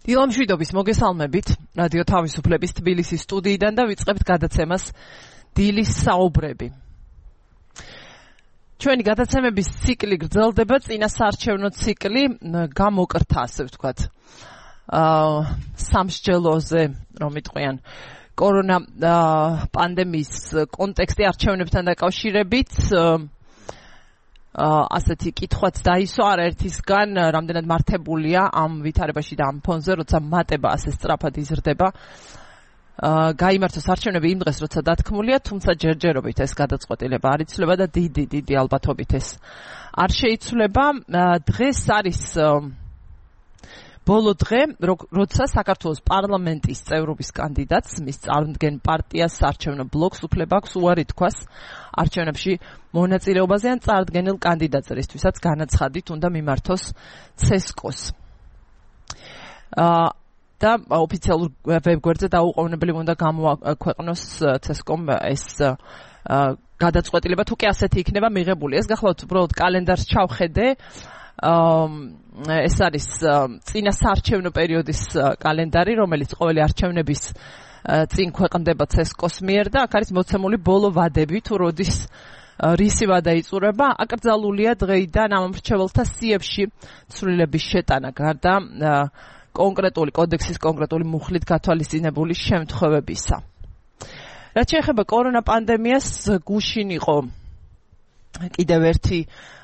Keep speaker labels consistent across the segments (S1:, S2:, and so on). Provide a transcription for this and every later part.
S1: დილამშვიდობის მოგესალმებით რადიო თავისუფლების თბილისის სტუდიიდან და ვიწყებთ გადაცემას დილის საუბრები. ჩვენი გადაცემების ციკლი გრძელდება, წინასაარჩევნო ციკლი გამოკრთა, ასე ვთქვათ. სამსჯელოზე, რომ იტყვიან, კორონა პანდემიის კონტექსტი არჩევნებთან დაკავშირებით ასეთი კითხვაც დაისვა არაერთისგან, რამდენად მართებულია ამ ვითარებაში და ამ ფონზე, როცა მატება ასე სწრაფად იზრდება. გაიმართოს არჩევნები იმ დღეს, როცა დათქმულია, თუმცა ჯერჯერობით ეს გადაწყვეტილება არ იცვლება და დიდი ალბათობით ეს არ შეიცვლება. დღეს არის ბოლო დღე, როცა საქართველოს პარლამენტის წევრობის კანდიდატს, მის წარმდგენ პარტიას საარჩევნო ბლოკს უფლება აქვს უარი თქვას არჩევნებში მონაწილეობაზე ან წარდგენილ კანდიდატს, რისთვისაც განაცხადით უნდა მიმართოს ცესკოს. და ოფიციალურ ვებგვერდზე დაუყოვნებლივ უნდა გამოაქვეყნოს ცესკომ ეს გადაწყვეტილება, თუ კი ასეთი იქნება მიღებული. ეს გახლავთ უბრალოდ კალენდარს ჩავხედე. ეს არის წინასაარჩევნო პერიოდის კალენდარი, რომელიც ყოველი არჩევნების წინ ქვეყნდება ცესკოს მიერ და აქ არის მოცემული ბოლო ვადები, თუ როდის რისი ვადა იწურება. აკრძალულია დღეიდან ამ მრჩეველთა სიებში ცვლილების შეტანა გარდა კონკრეტული კოდექსის კონკრეტული მუხლით გათვალისწინებული შემთხვევებისა. რაც შეეხება კორონა პანდემიას, გუშინ იყო კიდევ ერთი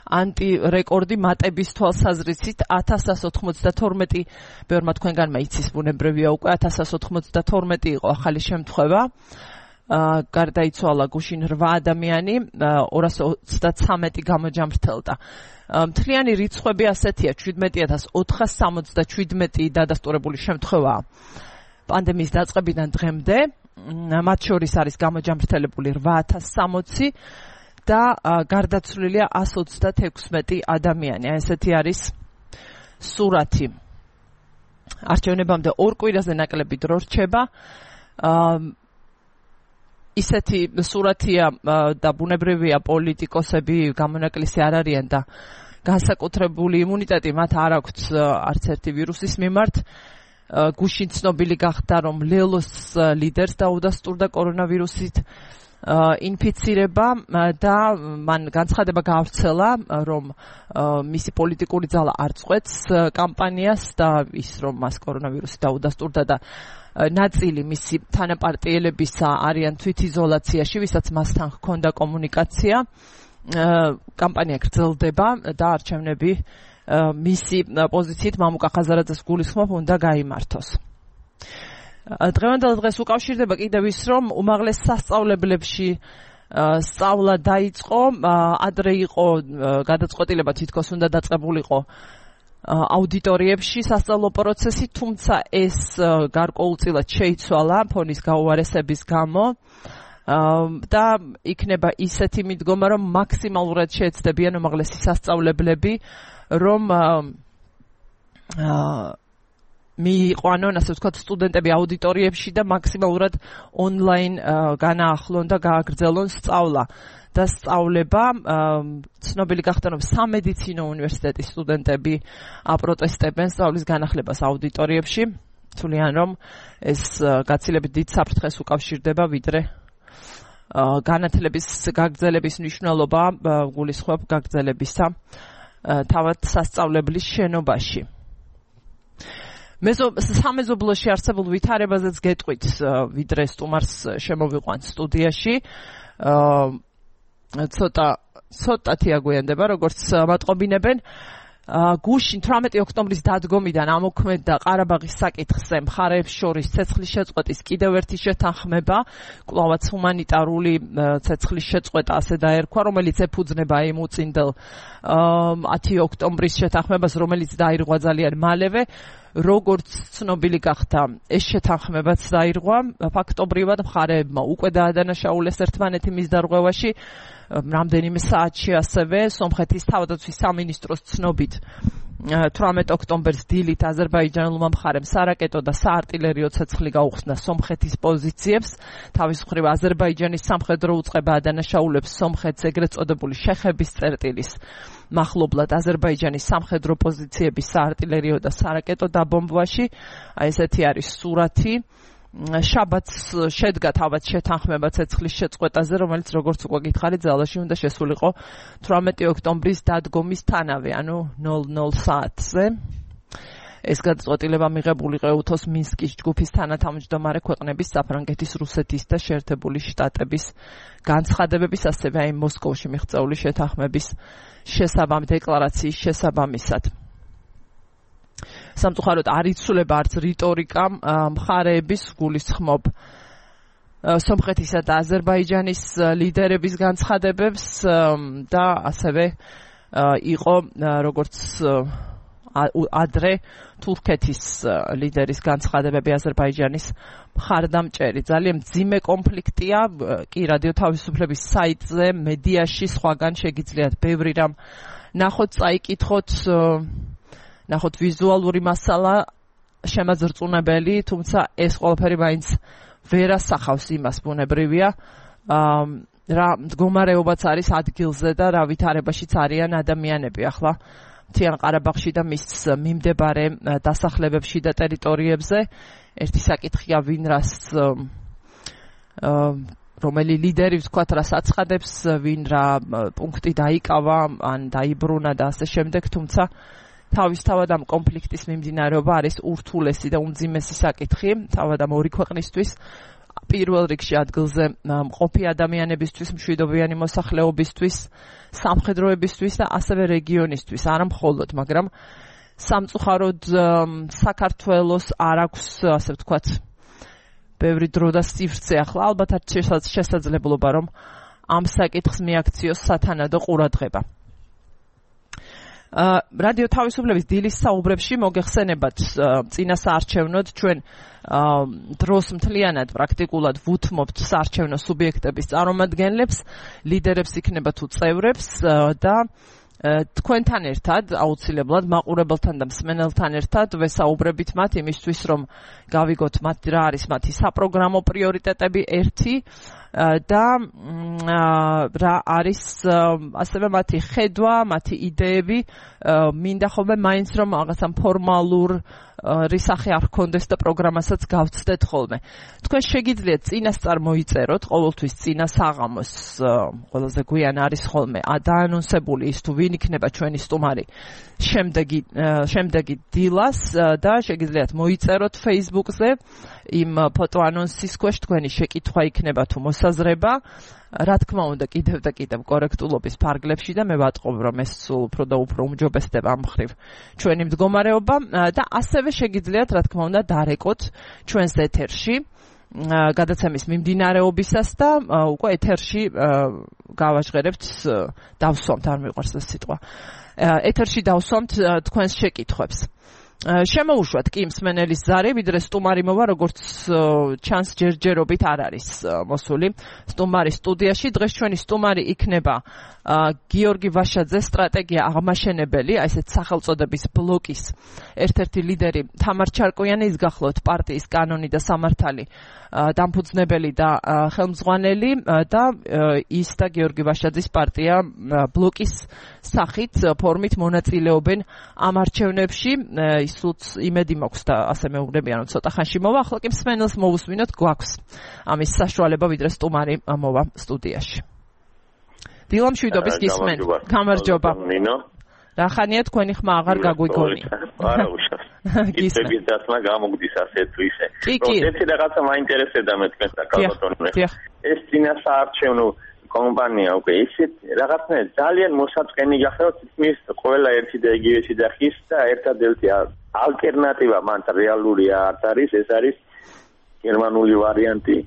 S1: ანტირეკორდი მატების თვალსაზრისით 1192, ბევრმა თქვენგანმა იცის, ბუნებრივია უკვე 1192 იყო ახალი შემთხვევა. გარდაიცვალა გუშინ 8 ადამიანი, 233 გამოჯამრთელდა. მთლიანი რიცხვები ასეთია, 17467 დადასტურებული შემთხვევაა პანდემიის დაწყებიდან დღემდე. მათ შორის არის გამოჯამრთელებული 8060 და გარდაცვლილია 126 ადამიანი. ესეთი არის სურათი. არჩევნებამდე 2 კვირაზე ნაკლები დრო რჩება. ისეთი სურათია და ბუნებრივია, პოლიტიკოსები გამონაკლისი არ არიან და განსაკუთრებული იმუნიტეტი მათ არ აქვთ არც ერთი ვირუსის მიმართ. გუშინ ცნობილი გახდა, რომ ლელოს ლიდერს დაუდასტურდა კორონავირუსით ინფიცირება და მან განცხადება გაავრცელა, რომ მისი პოლიტიკური ძალა არ წყვეტს კამპანიას და ის, რომ მას კორონავირუსი დაუდასტურდა და ნაწილი მისი თანაპარტიელებისა არიან თვითიზოლაციაში, ვისაც მასთან ჰქონდა კომუნიკაცია. კამპანია გრძელდება და არჩევნები მისი პოზიციით მამუკა ხაზარაძეს გულისხმობ უნდა გაიმართოს. დღევანდელ დღეს უკავშირდება კიდევ ის, რომ უმაღლეს სასწავლებლებში სწავლა დაიწყო. ადრე იყო გადაწყვეტილება, თითქოს უნდა დაწყებულიყო აუდიტორიებში სასწავლო პროცესი, თუმცა ეს გარკვეულწილად შეიცვალა ფონის გაუარესების გამო და იქნება ისეთი მიდგომა, რომ მაქსიმალურად შეეცდებიან უმაღლესი სასწავლებლები, რომ მიიყვანონ, ასე ვთქვათ, სტუდენტები აუდიტორიებში და მაქსიმალურად ონლაინ განაახლონ და გააგრძელონ სწავლა და სწავლება. ცნობილი გახდა, რომ სამედიცინო უნივერსიტეტის სტუდენტები აპროტესტებენ სწავლის განახლებას აუდიტორიებში. თვლიან, რომ ეს გაცილებით დიდ საფრთხეს უკავშირდება, ვიდრე განათლების გაგრძელების მნიშვნელობა გულისხმობ გაგრძელებისა თავად სასწავლებლის შენობაში. სამეზობლოში არსებულ ვითარებაზეც გეტყვით, ვიდრე სტუმარს შემოვიყვანთ სტუდიაში. ცოტათი აგვიანდება, როგორც მატყობინებენ. გუშინ 18 ოქტომბრის დადგომიდან ამოქმედდა ყარაბაღის საკითხზე მხარეებს შორის ცეცხლის შეწყვეტის კიდევ ერთი შეთანხმება, კვლავაც ჰუმანიტარული ცეცხლის შეწყვეტა ასე დაერქვა, რომელიც ეფუძნება იმ უწინდელ 10 ოქტომბრის შეთანხმებას, რომელიც დაირღვა ძალიან მალევე. როგორც ცნობილი გახდა, ეს შეთანხმებაც დაირღვა ფაქტობრივად, მხარეებმა უკვე დაადანაშაულეს ერთმანეთი მის დარღვევაში. რამდენიმე საათში ასევე სომხეთის თავდაცვის სამინისტროს ცნობით 18 ოქტომბერს დილით აზერბაიჯანულმა მხარემ სარაკეტო და საარტილერიო ცეცხლი გაუხსნა სომხეთის პოზიციებს. თავის მხრივ აზერბაიჯანის სამხედრო უწყება ადანაშაულებს სომხეთს ეგრეთ წოდებული შეხების წერტილის მახლობლად აზერბაიჯანის სამხედრო პოზიციების საარტილერიო და სარაკეტო დაბომბვაში. ესეთი არის სურათი. შაბათს შედგა თავად შეთანხმება ცეცხლის შეწყვეტაზე, რომელიც როგორც უკვე გითხარით, ძალაში უნდა შესულიყო 18 ოქტომბრის დადგომის თანავე, ანუ 00 საათზე. ეს გადაწყვეტილება მიღებული იყო EUTOS მინსკის ჯგუფის თანათავმჯდომარე ქვეყნების საფრანგეთის, რუსეთის და შეერთებული შტატების განცხადებების, ასევე აი მოსკოვში მიღწეული შეთანხმების დეკლარაციის შესაბამისად. სამწუხაროდ არ იცვლება არც რიტორიკა მხარეების გულისხმობ სომხეთისა და აზერბაიჯანის ლიდერების განცხადებებს და ასევე იყო როგორც ადრე თურქეთის ლიდერის განცხადებები აზერბაიჯანის მხარდამჭერი. ძალიან მძიმე კონფლიქტია, კი რადიო თავისუფლების საიტზე, მედიაში სხვაგან შეგიძლიათ ბევრი რამ ნახოთ, წაიკითხოთ, ნახოთ ვიზუალური მასალა შემაძრწუნებელი, თუმცა ეს ყველაფერი მაინც ვერ ასახავს იმას, ბუნებრივია, რა მდგომარეობაც არის ადგილზე და რა ვითარებაშიც არიან ადამიანები ახლა მთიან ყარაბაღში და მის მიმდებარე დასახლებებში და ტერიტორიებზე. ერთი საკითხია, ვინ რას რომელი ლიდერი ვთქვათ რას აცხადებს, ვინ რა პუნქტი დაიკავა ან დაიბრუნა და ასე შემდეგ, თუმცა თავისთავად ამ კონფლიქტის მიმდინარეობა არის ურთულესი და უმძიმესი საკითხი, თავად ამ ორი ქვეყნისთვის, პირველ რიგში ადგილზე მყოფი ადამიანებისთვის, მშვიდობიანი მოსახლეობისთვის, სამხედროებისთვის და ასევე რეგიონისთვის, არა მხოლოდ, მაგრამ სამწუხაროდ საქართველოს არ აქვს, ასე ვთქვათ, ბევრი დრო და სივრცე ახლა, ალბათ არის შესაძლებლობა, რომ ამ საკითხს მიაქციოს სათანადო ყურადღება. რადიო თავისუფლების დილის საუბრებში მოგეხსენებათ წინა საარჩევნოდ ჩვენ დროს მთლიანად პრაქტიკულად ვუთმობთ საარჩევნო სუბიექტების წარმომადგენლებს, ლიდერებს იქნება თუ წევრებს და თქვენთან ერთად აუცილებლად მაყურებელთან და მსმენელთან ერთად ვესაუბრებით მათ იმისთვის, რომ გავიგოთ მათ რა არის მათი საპროგრამო პრიორიტეტები ერთი და რა არის ასევე მათი ხედვა, მათი იდეები, მინდა ხოლმე მაინც რომ რაღაცა ფორმალურ რისახე არ გქონდეს და პროგრამასაც გავცდეთ ხოლმე. თქვენ შეგიძლიათ წინასწარ მოიწეროთ, ყოველთვის წინა საღამოს ყველაზე გვიან არის ხოლმე დაანონსებული ის თუ ვინ იქნება ჩვენი სტუმარი შემდეგი დილას და შეგიძლიათ მოიწეროთ Facebook-ზე იმ ფოტო ანონსის ქვეშ თქვენი შეკითხვა იქნება თუ მოსაზრება. რა თქმა უნდა კიდევ და კიდევ კორექტულობის ფარგლებში და მე ვატყობ რომ ეს უფრო და უფრო უმჯობესდება ამ მხრივ ჩვენი მდგომარეობა და ასევე შეგიძლიათ რა თქმა უნდა დარეკოთ ჩვენს ეთერში გადაცემის მიმდინარეობისას და უკვე ეთერში გავაჟღერებთ დავსვამთ არ მიყვარს ეს სიტყვა ეთერში დავსვამთ თქვენს შეკითხვებს შემოუშვათ კი მსმენელის ზარი, ვიდრე სტუმარი მოვა, როგორც ჩანს ჯერჯერობით არ არის მოსული სტუმარი სტუდიაში. დღეს ჩვენი სტუმარი იქნება გიორგი ვაშაძე, სტრატეგია აღმაშენებელი, აი ესეთ სახელწოდების ბლოკის ერთ-ერთი ლიდერი თამარ ჩარკვიანი, ის გახლავთ პარტიის კანონი და სამართალი დამფუძნებელი და ხელმძღვანელი და ის და გიორგი ვაშაძის პარტია ბლოკის სახით ფორმით მონაწილეობენ ამ არჩევნებში. ისუც იმედი მაქვს და ასე მეუბნებიან რომ ცოტა ხანში მოვა, ახლა კი მსმენელს მოვუსმინოთ, გვაქვს ამის საშუალება, ვიდრე სტუმარი მოვა სტუდიაში. დილა მშვიდობის გისმენთ. გამარჯობა. რა ხანია თქვენი ხმა აღარ გაგვიგონია.
S2: არა უშავს. გიწევით დასმა გამოგდის ასე თუ ისე. ერთი რაღაცა მაინტერესებდა მე თქვენ საკალბატონო. ეს წინა საარჩევნო კომპანია უკვე ისეთ რაღაცნაირად ძალიან მოსაწყენი გახდა, თითქმის ყველა ერთი და იგივე შეძახის და ერთადერთი ალტერნატივა მან რეალური არ არის, ეს არის გერმანული ვარიანტი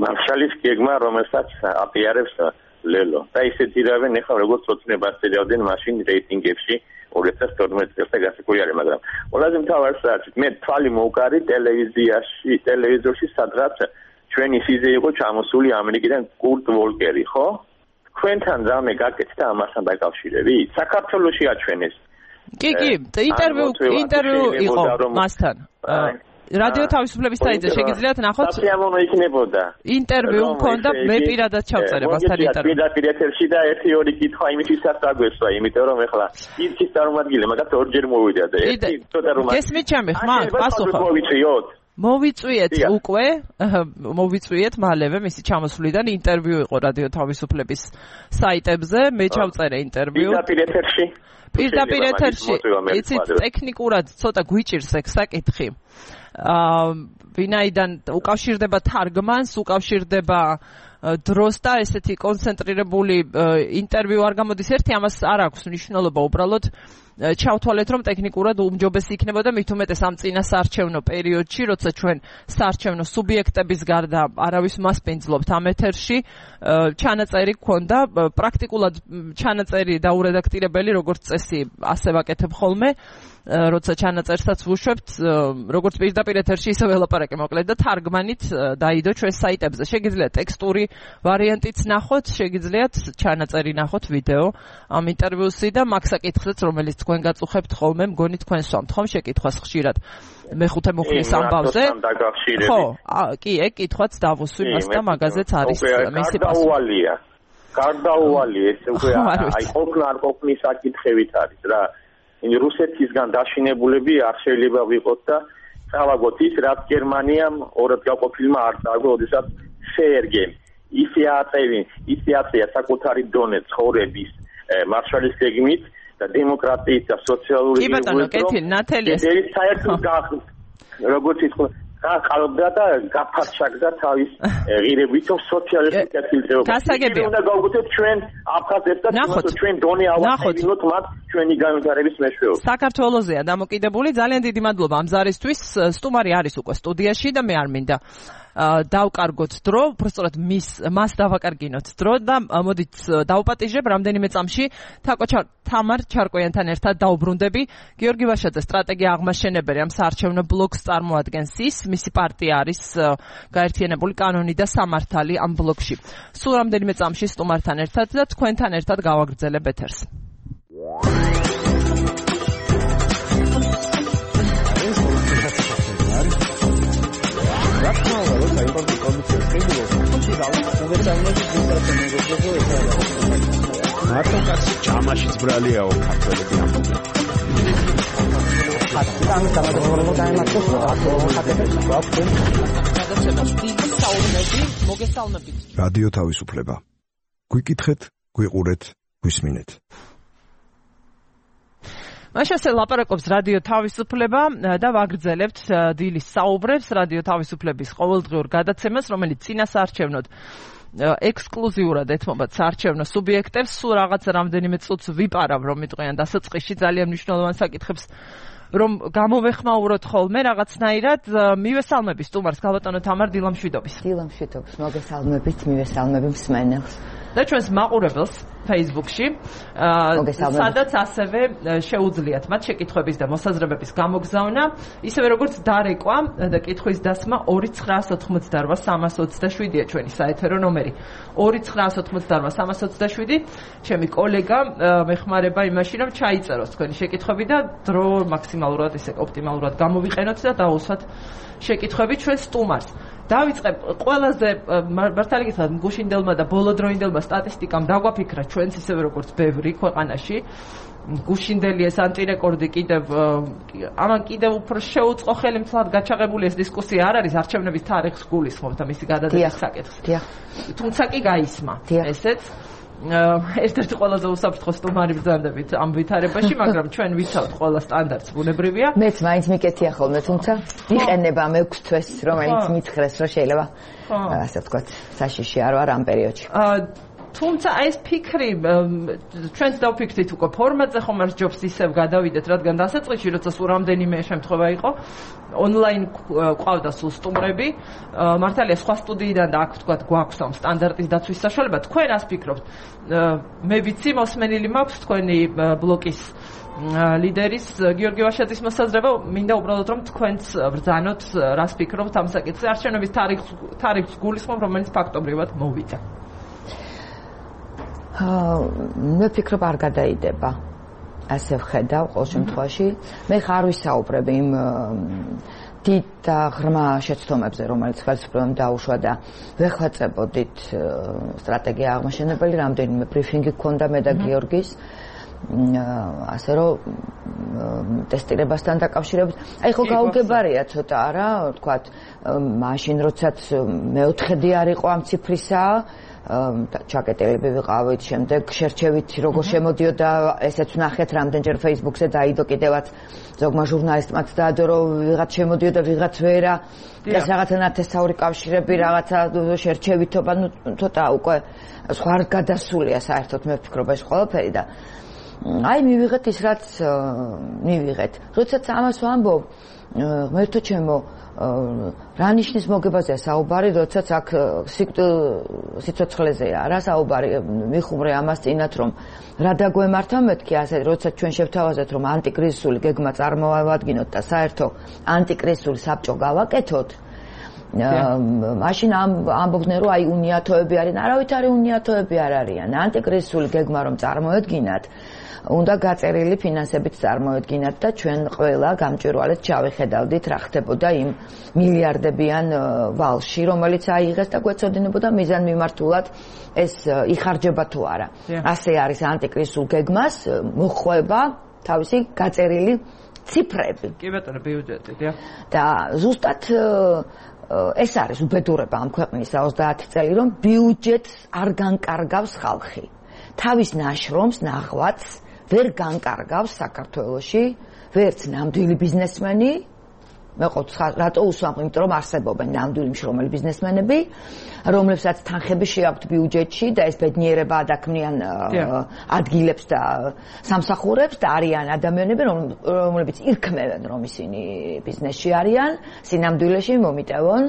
S2: მარშალის გეგმა, რომელსაც აპიარებს ლელო. და ისეთი რავენ ახლა როგორც ოცნებას ეძავდნენ მაშინ რეიტინგებში 2012 წელს და გასაკვირია, მაგრამ ყველაზე მთავარს რაც მე თვალი მოვკარი ტელევიზორში სადღაც ჩვენი სიზე იყო ჩამოსული ამერიკიდან კურტ ვოლკერი, ხო? თქვენთან რამე გაკეთდა ამასთან დაკავშირებით? საქართველოში აჩვენეს
S1: კი, ინტერვიუ იყო მასთან. რადიო თავისუფლების საიტზე შეგიძლიათ ნახოთ.
S2: სიამოვნო იქნებოდა.
S1: ინტერვიუ მქონდა, მე პირადად ჩავწერე მასთან ინტერვიუ.
S2: პირდაპირ ეთერში და 1-2 კითხვა იმისთვისაც დაგვესვა, იმიტომ რომ ეხლა ის წარმოგიდგენია, მაგათ ორჯერ მოვიდა და ერთი ცოტა რომ
S1: გესმით ჩემი ხმა, პასუხი. მოვიწვიეთ მალევე მისი ჩამოსვლიდან ინტერვიუ იყო რადიო თავისუფლების საიტებზე, მე ჩავწერე ინტერვიუ. პირდაპირ ეთერში. იცით, ტექნიკურად ცოტა გვიჭირს ეგ საკითხი. ვინაიდან უკავშირდება თარგმანს, უკავშირდება დროს და ესეთი კონცენტრირებული ინტერვიუ არ გამოდის ერთი, ამას არ აქვს მნიშვნელობა უბრალოდ ჩავთვალეთ რომ ტექნიკურად უმჯობესი იქნებოდა მით უმეტეს ამ წინა საარჩევნო პერიოდში, როცა ჩვენ საარჩევნო სუბიექტების გარდა არავის მასპინძლობთ ამ ეთერში, ჩანაწერი გქონდა, პრაქტიკულად ჩანაწერი დაურედაქტირებელი როგორც წესი ასე ვაკეთებ ხოლმე, როცა ჩანაწერსაც ვუშვებთ, როგორც პირდაპირ ეთერში ისე ველაპარაკე მოკლედ და თარგმანით დაიდო ჩვენს საიტებზე. შეგიძლიათ ტექსტური ვარიანტიც ნახოთ, შეგიძლიათ ჩანაწერი ნახოთ ვიდეო ამ ინტერვიუსი და მაგ საკითხზეც რომელიც თქვენ გაწუხებთ ხოლმე, მგონი თქვენ სვამთ ხომ შეკითხვას ხშირად მეხუთე მუხლის ამბავზე. ხო, კი, ეგ კითხვაც დავუსვი მას და მაგაზეც არის მისი
S2: პასუხი. გარდაუვალი ეს უკვე აი ყოფნა არ ყოფნის საკითხებით არის რა. რუსეთისგან დაშინებულები არ შეიძლება ვიყოთ და წავაგოთ ის, რაც გერმანიამ ორად გაყოფილმა არ წააგო, როდესაც შეერგე. ისე აწია საკუთარი დონე ცხოვრების მარშალის გეგმით და დემოკრატიით და სოციალური როგორც ის ყალობდა და გაფარჩაგდა თავის ღირებით სოციალისტურ კეთილდღეობას.
S1: გასაგებია.
S2: უნდა გავუგოთ ჩვენ აფხაზებს და ჩვენ დონე ავახსენოთ მათ ჩვენი განვითარების მეშვეობით.
S1: საქართველოსია დამოკიდებული. ძალიან დიდი მადლობა ამ ზარისთვის. სტუმარი არის უკვე სტუდიაში და მე არ მინდა დავკარგოთ დრო, უბრალოდ მას დავაკარგინოთ დრო და მოდით დავპატიჟებ რამდენიმე წამში თამარ ჩარკვიანთან ერთად დაუბრუნდები. გიორგი ვაშაძე სტრატეგია აღმაშენებელი ამ საარჩევნო ბლოკს წარმოადგენს ის, მისი პარტია არის გაერთიანებული კანონი და სამართალი ამ ბლოკში. სულ რამდენიმე წამში სტუმართან ერთად და თქვენთან ერთად გავაგრძელებ ეთერს.
S3: მარტო კაცი ჯამაშიც ბრალიაო ქართველები ამბობენ. რადიო თავისუფლება. გვიკითხეთ, გვიყურეთ, გვისმინეთ.
S1: მაშასე ლაპარაკობს რადიო თავისუფლება და ვაგრძელებთ დილის საუბრებს რადიო თავისუფლების ყოველდღიურ გადაცემას, რომელიც წინა საარჩევნოდ ექსკლუზიურად ეთმობათ საარჩევნო სუბიექტებს. სულ რაღაც რამდენიმე წუთს ვიპარავ რომ მიტყვიან დასაწყისში ძალიან მნიშვნელოვან საკითხებს რომ გამოვეხმაუროთ ხოლმე რაღაცნაირად. მივესალმები სტუმარს გალბატონო თამარ დილამშვიდობის.
S4: დილამშვიდობის, მოგესალმებით, მივესალმები მსმენელს.
S1: და ჩვენს მაყურებელს Facebook-ში, სადაც ასევე შეუძლიათ მათ შეკითხვების და მოსაზრებების გამოგზავნა, ისევე როგორც დარეკვა და კითხვის დასმა 2988327-ია ჩვენი საეთერო ნომერი. 2988327. ჩემი კოლეგა მეხმარება იმაში, რომ ჩაიწეროს თქვენი შეკითხვები და დრო მაქსიმალურად ისე ოპტიმალურად გამოვიყენოთ და დაუსვათ შეკითხვები ჩვენ სტუმარს. დავიწყებ ყველაზე მართალი გითხრათ გუშინდელმა და ბოლოდროინდელმა სტატისტიკამ დაგვაფიქრა ჩვენც ისევე როგორც ბევრი ქვეყანაში გუშინდელი ეს ანტირეკორდი კიდევ ამან კიდევ უფრო შეუწყო ხელი მთლად გაჩაღებული ეს დისკუსია არ არის არჩევნების თარიღს გულისხმობ და მისი გადადების საკითხს. თუმცა კი გაისმა ესეც ერთ-ერთი ყველაზე უსაფრთხო სტუმარი ბრძანდებით ამ ვითარებაში, მაგრამ ჩვენ ვიცავთ ყველა სტანდარტს ბუნებრივია.
S4: მეც მაინც მიკეთია ხოლმე, თუმცა იყენება მე 6 თვეს, რომელიც მითხრეს, რომ შეიძლება ასე ვთქვათ, საშიში არ ვარ ამ პერიოდში.
S1: თუმცა ეს ფიქრი ჩვენც დავფიქრდით უკვე ფორმატზე ხომ არ ჯობს ისევ გადავიდეთ, რადგან დასაწყისში როცა სულ რამდენიმე შემთხვევა იყო ონლაინ ყავდა სულ სტუმრები, მართალია სხვა სტუდიიდან და აქ ვთქვათ გვაქვს ამ სტანდარტის დაცვის საშუალება. თქვენ ას ფიქრობთ? მე ვიცი მოსმენილი მაქვს თქვენი ბლოკის ლიდერის გიორგი ვაშაძის მოსაზრება, მინდა უბრალოდ რომ თქვენც ბრძანოთ, რას ფიქრობთ ამ საკითხზე, არჩევნების თარიღს გულისხმობ, რომელიც ფაქტობრივად მოვიდა.
S4: მე ფიქრობ არ გადაიდება. ასე ვხედავ ყოველ შემთხვევაში. მე ხარ ვისაუბრები იმ დიდ და ღრმა შეცდომებზე, რომელიც ხელისუფლებამ დაუშვა და ვეხვეწებოდით სტრატეგია აღმაშენებელი, რამდენიმე ბრიფინგი გქონდა მე და გიორგის. ასე რომ ტესტირებასთან დაკავშირებით აი ხო გაუგებარია ცოტა არა თქვათ მაშინ როდესაც მეოთხედი არ იყო ამ ციფრისა ჩაკეტილები ვიყავით შემდეგ შერჩევით როგორ შემოდიოდა ესეც ვნახეთ რამდენჯერ Facebook-ზე დაიდო კიდევაც ზოგმა ჟურნალისტმაც დაადო რომ ვიღაც შემოდიოდა ვიღაც ვერა და რაღაცა ნათესაური კავშირები რაღაცა შერჩევითობა ნუ ცოტა უკვე სხვა გადასულია საერთოდ მე ვფიქრობ ეს ყველაფერი და აი მივიღეთ ის რაც მივიღეთ. როდესაც ამას ვამბობ, ღმერთო ჩემო, რა ნიშნის მოგებაზეა საუბარი, როდესაც აქ სიცოცხლეზეა რა საუბარი, მიხუმრე ამას წინათ რომ რა დაგვემართა მეთქი ასე, როდესაც ჩვენ შევთავაზეთ რომ ანტიკრიზისული გეგმა წარმოვადგინოთ და საერთო ანტიკრიზისული საბჭო გავაკეთოთ. მაშინ ამბობდნენ რომ აი უნიათოები არიან, არავითარი უნიათოები არ არიან. ანტიკრიზისული გეგმა რომ წარმოედგინათ უნდა გაწერილი ფინანსებით წარმოედგინათ და ჩვენ ყველა გამჭვირვალედ ჩავეხედავდით რა ხდებოდა იმ მილიარდებიან ვალში, რომელიც აიღეს და გვეცოდინებოდა მიზანმიმართულად ეს იხარჯება თუ არა. ასე არის ანტიკრიზისულ გეგმას მოხვება თავისი გაწერილი ციფრები.
S1: კი ბატონო, ბიუჯეტი, დიახ.
S4: და ზუსტად ეს არის უბედურება ამ ქვეყნის 30 წელი, რომ ბიუჯეტს არ განკარგავს ხალხი. თავის ნაშრომს ნახვაც ვერ განკარგავს საქართველოში ვერც ნამდვილი ბიზნესმენი მე ყოველთვის რატო უსვამთ, იმიტომ რომ არსებობენ ნამდვილი მშრომელი ბიზნესმენები, რომლებსაც თანხები შეაქვთ ბიუჯეტში და ეს ბედნიერება ადაქმნიან ადგილებს და სამსახურებს და არიან ადამიანები, რომლებიც ირქმევენ, რომ ისინი ბიზნესში არიან, სინამდვილეში მომიტევონ,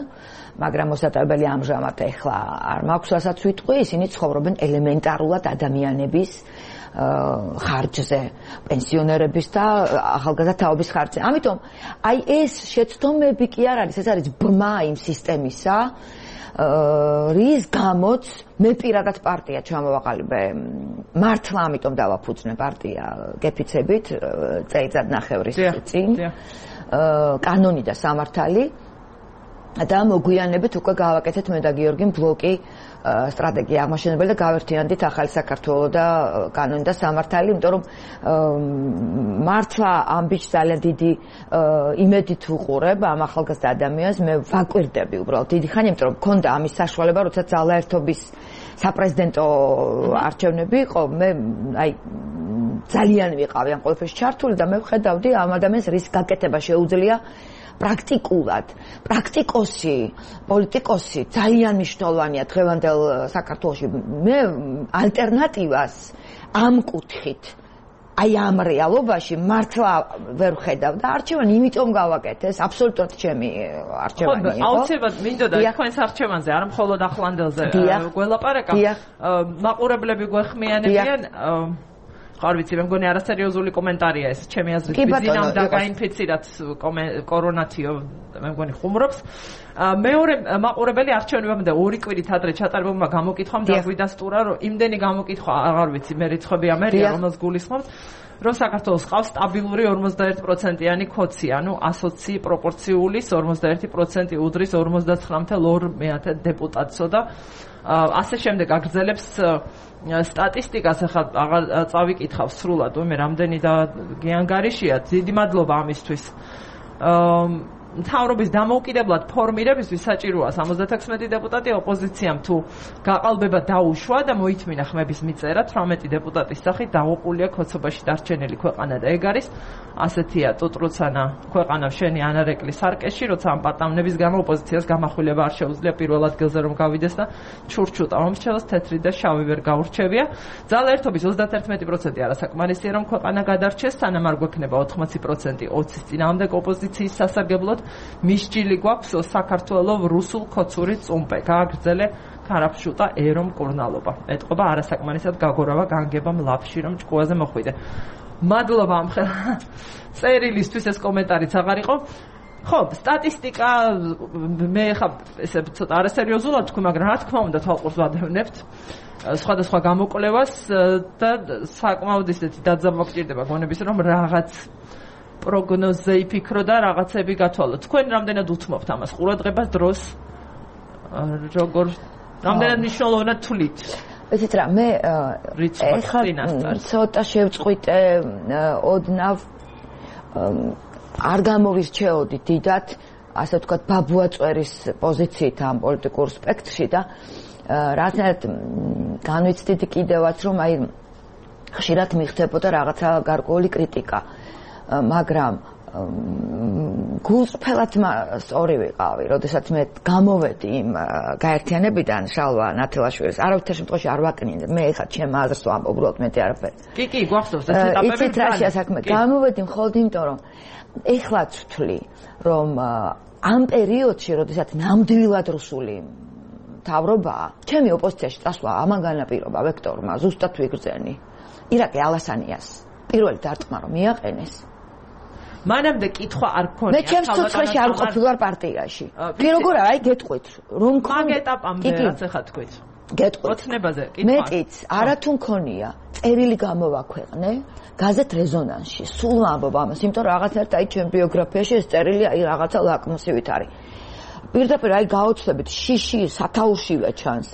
S4: მაგრამ მოსატარებელი ამჟამად ეხლა არ მაქვს რასაც ვიტყვი, ისინი ცხოვრობენ ელემენტარულად ადამიანების ხარჯზე, პენსიონერების და ახალგაზრდა თაობის ხარჯზე. ამიტომ აი ეს შეცდომები კი არ არის, ეს არის ბრმა იმ სისტემისა, რის გამოც მე პირადად პარტია ჩამოვაყალიბე. მართლა ამიტომ დავაფუძნე პარტია გეფიცებით წელიწადნახევრის წინ. კანონი და სამართალი და მოგვიანებით უკვე გავაკეთეთ მე და გიორგიმ ბლოკი სტრატეგია აღმაშენებელი და გავერთიანდით ახალი საქართველო და კანონი და სამართალი, იმიტომ რომ მართლა ამ ბიჭს ძალიან დიდი იმედით ვუყურებ ამ ახალგაზრდა ადამიანს, მე ვაკვირდები უბრალოდ დიდი ხანი, იმიტომ რომ მქონდა ამის საშუალება, როცა ძალაერთობის საპრეზიდენტო არჩევნები იყო, მე აი ძალიან ვიყავი ამ ყველაფერში ჩართული და მე ვხედავდი ამ ადამიანს რის გაკეთება შეუძლია პრაქტიკულად, პრაქტიკოსი, პოლიტიკოსი ძალიან მნიშვნელოვანია დღევანდელ საქართველოში. მე ალტერნატივას ამ კუთხით, აი ამ რეალობაში მართლა ვერ ვხედავ და არჩევანი იმიტომ გავაკეთეს, აბსოლუტურად ჩემი არჩევანი იყო.
S1: აუცილებლად მინდოდა თქვენს არჩევანზე, არ მხოლოდ ახლანდელზე გველაპარაკა. მაყურებლები გვეხმიანებიან არ ვიცი, მე მგონი არასერიოზული კომენტარია ეს, ჩემი აზრით, ბიზნამ და გაინფიცირად კორონათიო, მე მგონი ხუმრობს. მეორე მაყურებელი არჩევნებამდე 2 კვირით ადრე ჩატარებულმა გამოკითხვამ დაგვიდასტურა, რომ იმდენი გამოკითხვა, აღარ ვიცი, მე რიცხვები ამერია, რომელს გულისხმობს, რომ საქართველოს ყავს სტაბილური 41%-იანი ქოცი, ანუ ასოცი პროპორციული 41% უდრის 59.2 დეპუტატსო და ასე შემდეგ აგრძელებს სტატისტიკას, ახლა აღარ წავიკითხავ სრულად, მე რამდენი და გიანგარიშია, დიდი მადლობა ამისთვის. მთავრობის დამოუკიდებლად ფორმირებისთვის საჭიროა 76 დეპუტატი, ოპოზიციამ თუ გაყალბება დაუშვა და მოითმინა ხმების მიწერა 18 დეპუტატის სახით დაღუპულია ქოცობაში დარჩენილი ქვეყანა და ეგ არის ასეთია ტუტრუცანა ქვეყანა შენი ანარეკლი სარკეში, როცა ამ პატამნების გამო ოპოზიციას გამახვილება არ შეუძლია პირველ ადგილზე რომ გავიდეს და ჩურჩუტა მომრჩევას თეთრი და შავი ვერ გაურჩევია. ძალაერთობის 31% არასაკმარისია რომ ქვეყანა გადარჩეს, სანამ არ გვექნება 80% 20-ის წინააღმდეგ ოპოზიციის სასარგებლოდ. მისჯილი გვაქვს საქართველოს რუსულ ქოცური წუმპე, გააგრძელე ქარაფშუტა ერომ კურნალობა. ეტყობა არასაკმარისად გაგორავა განგება მლაფში რომ ჭკუაზე მოხვიდე. მადლობა ამ წერილისთვის, ეს კომენტარიც აღარ იყო. ხო, სტატისტიკა მე ხა ესე ცოტა არასერიოზულად თქვი, მაგრამ რა თქმა უნდა თვალყურს ვადევნებთ სხვადასხვა გამოკვლევას და საკმაოდ ისეთი დაძაბვა გჭირდება გონების რომ რაღაც პროგნოზე იფიქრო და რაღაცები გათვალო. თქვენ რამდენად უთმობთ ამას ყურადღებას დროს? როგორ რამდენად მნიშვნელოვნად თვლით?
S4: იცით რა, მე ეხლა ცოტა შევწყვიტე ოდნავ არ გამოვირჩეოდი დიდად, ასე ვთქვათ, ბაბუაწვერის პოზიციით ამ პოლიტიკურ სპექტრში და რაღაცნაირად განვიცდიდი კიდევაც, რომ აი ხშირად მიხდებოდა რაღაცა გარკვეული კრიტიკა, მაგრამ გულწრფელად სწორი ვიყავი, როდესაც მე გამოვედი იმ გაერთიანებიდან შალვა ნათელაშვილის, არავითარ შემთხვევაში არ ვაკნინე, მე ეხლა ჩემ აზრს ვამბობ, უბრალოდ მეტი არაფერი.
S1: კი, გვახსოვს ეს ეტაპები.
S4: იცით რა საქმე, გამოვედი მხოლოდ იმიტომ, რომ ეხლაც ვთვლი, რომ ამ პერიოდში, როდესაც ნამდვილად რუსული მთავრობაა, ჩემი ოპოზიციაში წასვლა ამან განაპირობა ვექტორმა ზუსტად ვიგრძენი. ირაკლი ალასანიას პირველი დარტყმა რომ მიაყენეს.
S1: მანამდე კითხვა არ გქონია.
S4: მე ჩემს ცოცხლში არ ყოფილვარ პარტიაში. კი როგორ აი გეტყვით, რომ
S1: მაგ ეტაპამდე რაც ახლა თქვით.
S4: გეტყვით.
S1: ოცნებაზე კითხვა.
S4: მეტიც არათუ მქონია. წერილი გამოვაქვეყნე გაზეთ რეზონანსში. სულ ვამბობ ამას, იმიტომ რომ რაღაცნაირად აი ჩემ ბიოგრაფიაში ეს წერილი აი რაღაცა ლაკმუსივით არის. პირდაპირ აი გაოცდებით შიში სათაურშივე ჩანს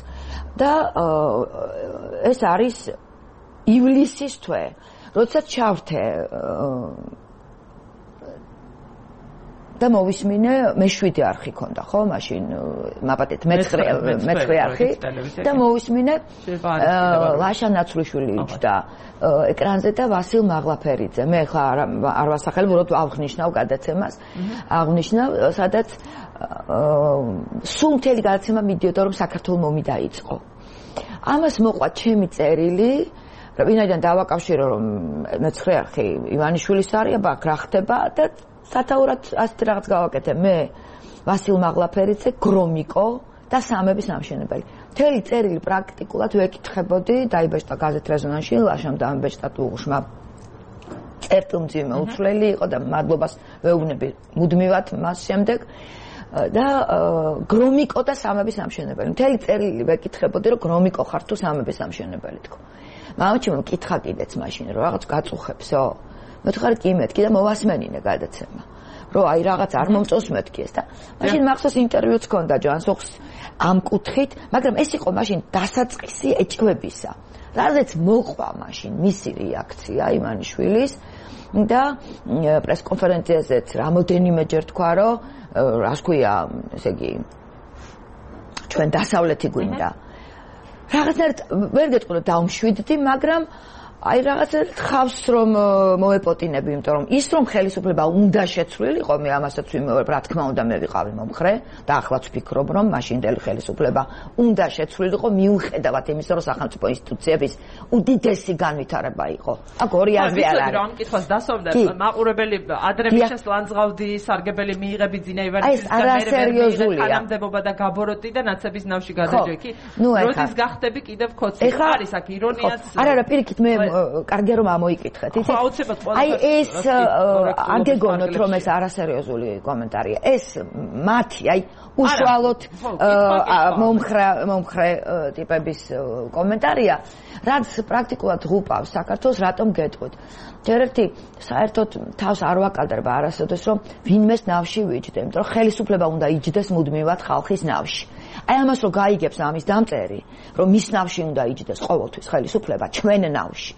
S4: და ეს არის ივლისის თვე. როდესაც ჩავრთე და მოვისმინე მე-7 არხი ქონდა, ხო, მაშინ მაპატეთ მე-9 არხი და მოვისმინე ლაშა ნაცვლიშვილი იჯდა ეკრანზე და ვასილ მაღლაფერიძე. მე ხა არ ვასახელებ, უბრალოდ აღნიშნავ გადაცემას. აღნიშნავ, სადაც სულ მთელი გადაცემა მიდიოდა, რომ საქართველოს ომი დაიწყო. ამას მოყვა ჩემი წერილი, ვინაიდან დავაკავშირო, რომ მე-9 არხი ივანიშვილის არის, აქ რა ხდება და სათაურად ასეთ რაღაც გავაკეთე მე ვასილ მაღლაფერიძე, გრომიკო და სამების ამშენებელი. მთელი წერილი პრაქტიკულად ვეკითხებოდი, დაიბეჭდა გაზეთ რეზონანსში, ლაშამ დაამბეჭდა უღშმა წერტილმძიმე უცვლელი იყო და მადლობას ვეუბნები მუდმივად მას შემდეგ და გრომიკო და სამების ამშენებელი. მთელი წერილი ვეკითხებოდი, რომ გრომიკო ხარ თუ სამების ამშენებელი თქო. მამაჩემ მკითხა კიდეც მაშინ, რომ რაღაც გაწუხებსო. მეთქარი კი მეთქი და მოვასმენინე გადაცემა. რომ აი რაღაც არ მომწონს მეთქი ეს და მაშინ მახსოვს ინტერვიუც ჰქონდა ჯანსუხს ამ კუთხით, მაგრამ ეს იყო მაშინ დასაწყისი ეჭვებისა. რაზეც მოყვა მაშინ მისი რეაქცია ივანიშვილის და პრესკონფერენციაზეც რამოდენიმეჯერ თქვა, რომ რას ქვია, ესე იგი ჩვენ დასავლეთი გვინდა. რაღაცნაირად ვერ გეტყვი რომ დავმშვიდდი, მაგრამ აი რაღაცა ხავს რომ მოეპოტინები, იმიტომ რომ ის რომ ხელისუფლება უნდა შეცვლილიყო, მე ამასაც ვიმეორებ, რა თქმა უნდა მე ვიყავი მომხრე და ახლაც ვფიქრობ, რომ მაშინდელი ხელისუფლება უნდა შეცვლილიყო, მიუხედავად იმისა, რომ სახელმწიფო ინსტიტუციების უდიდესი განვითარება იყო. აქ ორი აზრი არ არის.
S1: ამ კითხვას დასვამდა მაყურებელი ადრე მიშას ლანძღავდი, სარგებელი მიიღები ძინა ივანიშვილის და მე თანამდებობა და გაბოროტი და ნაცების ნავში გადაჯექი. როდის გახდები კიდევ ქოცი? არის აქ ირონიაც.
S4: არა, პირიქით მე კარგია რომ ამოიკითხეთ. აი ეს აგეგონოთ რომ ეს არასერიოზული კომენტარია. ეს მათი აი უშუალოდ მომხრე ტიპების კომენტარია, რაც პრაქტიკულად ღუპავს საქართველოს, რატომ გეტყვით. ჯერერთი საერთოდ თავს არ ვაკადრება არასოდეს რომ ვინმეს ნავში ვიჯდე, იმიტომ რომ ხელისუფლება უნდა იჯდეს მუდმივად ხალხის ნავში. აი ამას რომ გაიგებს ამის დამწერი, რომ მის ნავში უნდა იჯდეს ყოველთვის ხელისუფლება ჩვენ ნავში,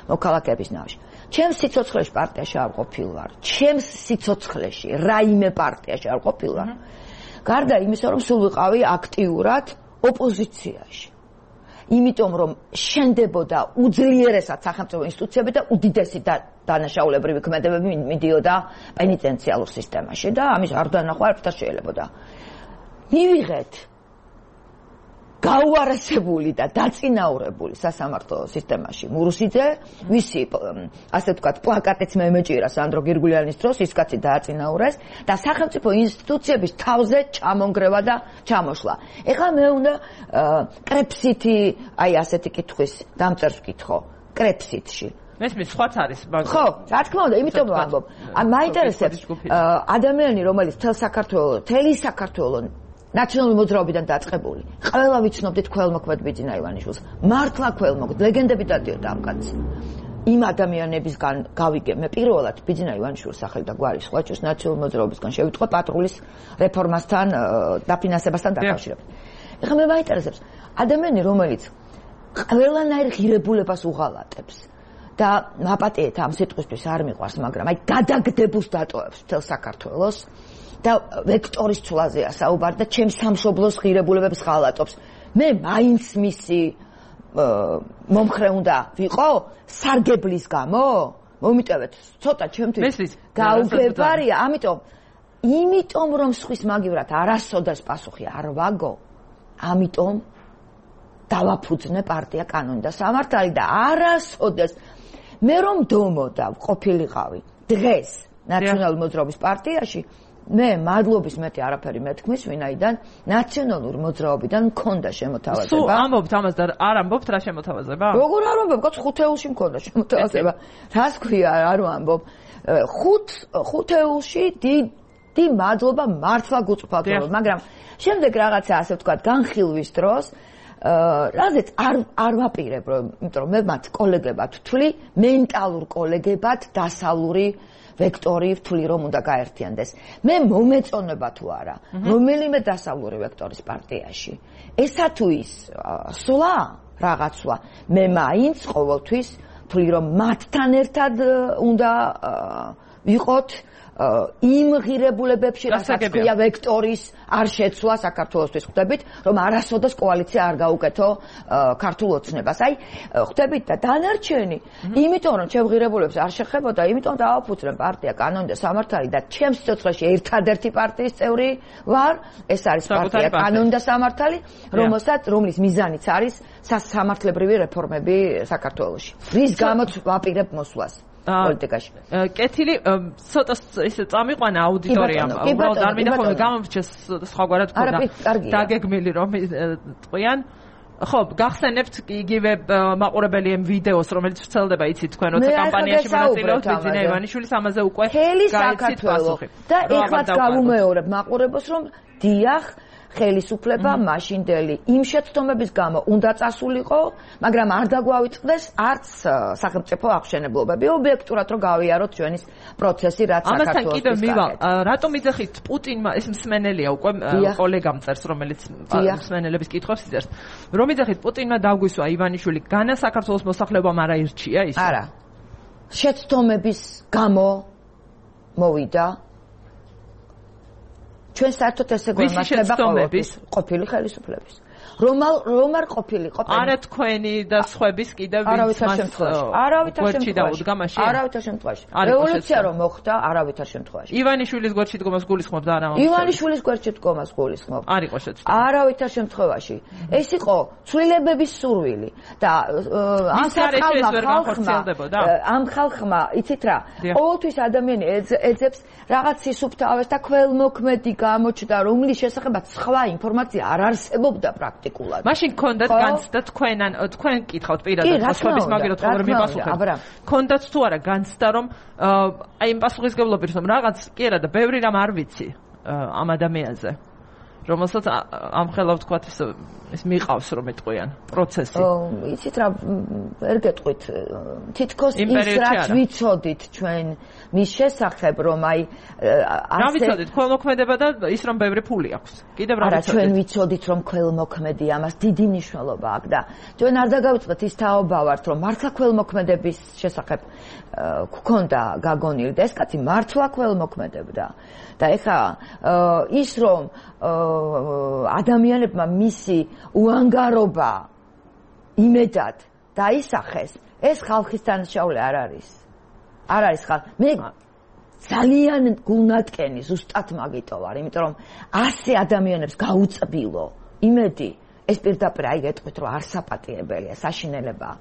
S4: მოქალაქეების ნავში. ჩემს სიცოცხლეში პარტიაში არ ყოფილვარ. ჩემს სიცოცხლეში რაიმე პარტიაში არ ყოფილვარ. გარდა იმისა, რომ სულ ვიყავი აქტიურად ოპოზიციაში. იმიტომ რომ შენდებოდა უძლიერესად სახელმწიფო ინსტიტუციები და უდიდესი დანაშაულებრივი ქმედებები მიდიოდა პენიტენციალურ სისტემაში და ამის არ დანახვა არაფერს შეიძლებოდა. მივიღეთ გაუარესებული და დაწინაურებული სასამართლო სისტემაში მურუსიძე, ვისი ასე ვთქვათ პლაკატიც მე მეჭირა სანდრო გირგულიანის დროს, ის კაცი დააწინაურეს და სახელმწიფო ინსტიტუციების თავზე ჩამონგრევა და ჩამოშლა. ეხლა მე უნდა კრეფსითი, აი ასეთი კითხვის დამწერს ვკითხო, კრეფსითში.
S1: მესმის სხვაც არის მაგრამ
S4: ხო რა თქმა უნდა იმიტომ ვამბობ მაინტერესებს ადამიანი რომელიც მთელი საქართველოს ნაციონალური მოძრაობიდან დაწყებული ყველა ვიცნობდით ქველმოქმედ ბიძინა ივანიშვილს მართლა ქველმოქმედ ლეგენდები დადიოდა ამ კაცს იმ ადამიანებისგან გავიგე მე პირველად ბიძინა ივანიშვილის სახელი და გვარი სხვა ჩვენს ნაციონალური მოძრაობისგან შევიტყვე პატრულის რეფორმასთან დაფინანსებასთან დაკავშირებით ეხლა მე მაინტერესებს ადამიანი რომელიც ყველანაირ ღირებულებას უღალატებს და მაპატიეთ ამ სიტყვისთვის არ მიყვარს მაგრამ აი გადაგდებულს დატოვებს მთელ საქართველოს და ვექტორის ცვლაზეა საუბარი და ჩემს სამშობლოს ღირებულებებს ღალატობს მე მაინც მისი მომხრე უნდა ვიყო სარგებლის გამო მომიტევეთ ცოტა ჩემთვის გაუგებარია იმიტომ რომ სხვის მაგივრად არასოდეს პასუხი არ ვაგო ამიტომ დავაფუძნე პარტია კანონი და სამართალი და არასოდეს მე რომ დომოდა ყოფილიყავი დღეს ნაციონალური მოძრაობის პარტიაში მე მადლობის მეტი არაფერი მეთქმის ვინაიდან ნაციონალური მოძრაობიდან მქონდა შემოთავაზება.
S1: სულ ამბობთ ამას და არ ამბობთ რა შემოთავაზება?
S4: როგორ არ ამბობ? კაც 5 ეულში მქონდა შემოთავაზება. რას ქვია არ ვამბობ? 5 ეულში დიდი მადლობა მართლა გუწფათო, მაგრამ შემდეგ რაღაცა ასე ვთქვათ განხილვის დროს რაზეც არ ვაპირებ, იმიტომ რომ მე მათ კოლეგებად ვთვლი, მენტალურ კოლეგებად დასავლური ვექტორი ვთვლი რომ უნდა გაერთიანდეს. მე მომეწონება თუ არა, რომელიმე დასავლური ვექტორის პარტიაში. ესა თუ ის სვლა რაღაცა, მე მაინც ყოველთვის ვთვლი რომ მათთან ერთად უნდა ვიყოთ იმ ღირებულებებში, რასაც ქვია ვექტორის არ შეცვლა საქართველოსთვის ხვდებით, რომ არასოდეს კოალიცია არ გაუკეთო ქართულ ოცნებას. აი, ხვდებით და დანარჩენი, იმიტომ რომ ჩემ ღირებულებს არ შეხებოდა, იმიტომ დავაფუძნე პარტია კანონი და სამართალი და ჩემ სიცოცხლეში ერთადერთი პარტიის წევრი ვარ, ეს არის პარტია კანონი და სამართალი, რომლის მიზანიც არის სამართლებრივი რეფორმები საქართველოში. რის გამოც ვაპირებ მოსვლას. პოლიტიკაში.
S1: კეთილი ცოტა ისე წამიყვანა აუდიტორიამ. უბრალოდ არ მინდა ხოლმე გამომრჩეს სხვაგვარად ქონდა დაგეგმილი რომ ტყვიან. ხო, გახსენებთ იგივე მაყურებელი ამ ვიდეოს, რომელიც ვრცელდება იცით თქვენ როცა კამპანიაში მონაწილეობთ ბიძინა ივანიშვილის ამაზე უკვე
S4: გაიცით პასუხი. და ეხლაც გავუმეორებ მაყურებელს რომ დიახ ხელისუფლება მაშინდელი იმ შეცდომების გამო უნდა წასულიყო, მაგრამ არ დაგვავიწყდეს არც სახელმწიფო აღშენებლობები, ობიექტურად რომ გავიაროთ ჩვენის პროცესი, რაც საქართველოს
S1: ამასთან კიდევ მივალ, რატომ იძახით პუტინმა, ეს მსმენელია უკვე კოლეგამ წერს, რომელიც მსმენელების კითხვებს იწერს, რომ იძახით პუტინმა დაგვისვა ივანიშვილი, განა საქართველოს მოსახლეობამ არ აირჩია ის?
S4: არა. შეცდომების გამო მოვიდა ჩვენ საერთოდ ესე გვემართება ყოფილი ხელისუფლების. რომ არ ყოფილიყო
S1: არა თქვენი და სხვების კიდევ
S4: არავითარ შემთხვევაში. არავითარ შემთხვევაში. რევოლუცია რომ მოხდა არავითარ შემთხვევაში.
S1: ივანიშვილის გვერდში დგომას გულისხმობ და არა
S4: ივანიშვილის გვერდში დგომას გულისხმობ.
S1: არ იყო შეცდომა.
S4: არავითარ შემთხვევაში. ეს იყო ცვლილებების სურვილი და ამ ხალხმა იცით რა ყოველთვის ადამიანი ეძებს რაღაც სისუფთავეს და ქველმოქმედი გამოჩნდა რომლის შესახებაც სხვა ინფორმაცია არ არსებობდა პრაქტიკულად.
S1: მაშინ გქონდათ განცდა თქვენ კითხავთ პირადად ხოთების მაგეროთ ხომ რომ მიპასუხებ. გქონდათ თუ არა განცდა რომ აი იმ პასუხისგებლობით რომ რაღაც კი არა და ბევრი რამ არ ვიცი ამ ადამიანზე. რომელსაც ამხელა ვთქვათ ეს მიყავს რომ ეტყვიან პროცესი.
S4: იცით რა ვერ გეტყვით თითქოს ის რაც ვიცოდით ჩვენ მის შესახებ რომ აი
S1: რა ვიცოდით ქველმოქმედება და ის რომ ბევრი ფული აქვს. კიდევ რა
S4: ვიცოდით? არა ჩვენ ვიცოდით რომ ქველმოქმედი ამას დიდი მნიშვნელობა აქვს და ჩვენ არ დაგავიწყდეთ ის თაობა ვართ რომ მართლა ქველმოქმედების შესახებ გქონდა გაგონილი და ეს კაცი მართლა ქველმოქმედებდა. და ეხა ის რომ ადამიანებმა მისი უანგარობა იმედად დაისახეს, ეს ხალხის დანაშაული არ არის. არ არის ხალხი. მე ძალიან გულნატკენი ზუსტად მაგიტო ვარ, იმიტომ რომ 100 ადამიანებს გაუწბილო იმედი, ეს პირდაპირ აი გეტყვით რომ არ საპატიებელია, საშინელებაა.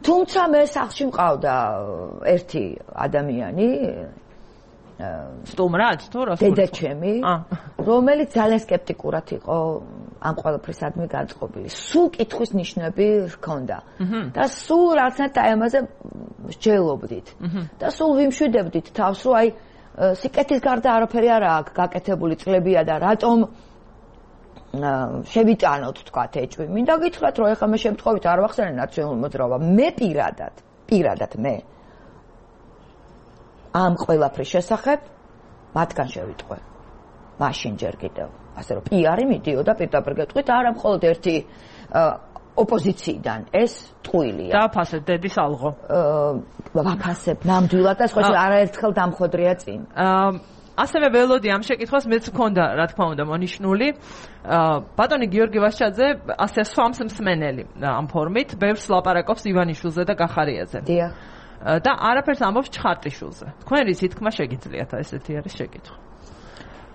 S4: თუმცა მე სახლში მყავდა ერთი ადამიანი
S1: სტუმრად თუ რა
S4: დედაჩემი რომელიც ძალიან სკეპტიკურად იყო ამ ყველაფრისადმი განწყობილი სულ კითხვის ნიშნები ჰქონდა და სულ რაღაცნაირად აი ამაზე მსჯელობდით და სულ ვიმშვიდებდით თავს, რომ აი სიკეთის გარდა არაფერი არ აქვს გაკეთებული წლებია და რატომ შევიტანოთ თქვათ ეჭვი. მინდა გითხრათ, რომ ეხლა მე შემთხვევით არ ვახსენე ნაციონალურ მოძრაობა. მე პირადად მე ამ ყველაფრის შესახებ მათგან შევიტყვე. მაშინ ჯერ კიდევ. ასე რომ პიარი მიდიოდა პირდაპირ გეტყვით, არა მხოლოდ ერთი ოპოზიციიდან ეს ტყუილია.
S1: დააფასებ დედის ალღო.
S4: ვაფასებ ნამდვილად და სხვა არაერთხელ დამხვედრია წინ.
S1: ასევე ველოდი ამ შეკითხვას მეც მქონდა, რა თქმა უნდა, მონიშნული. ბატონი გიორგი ვაშჩაძე ასე სვამს მსმენელი ამ ფორმით, ბევრს ლაპარაკობს ივანიშვილზე და გახარიაძე.
S4: დიახ.
S1: და არაფერს ამბობს ჩხარტიშვილზე. თქვენი თქმა შეგიძლიათ ესეთი არის შეკითხვა.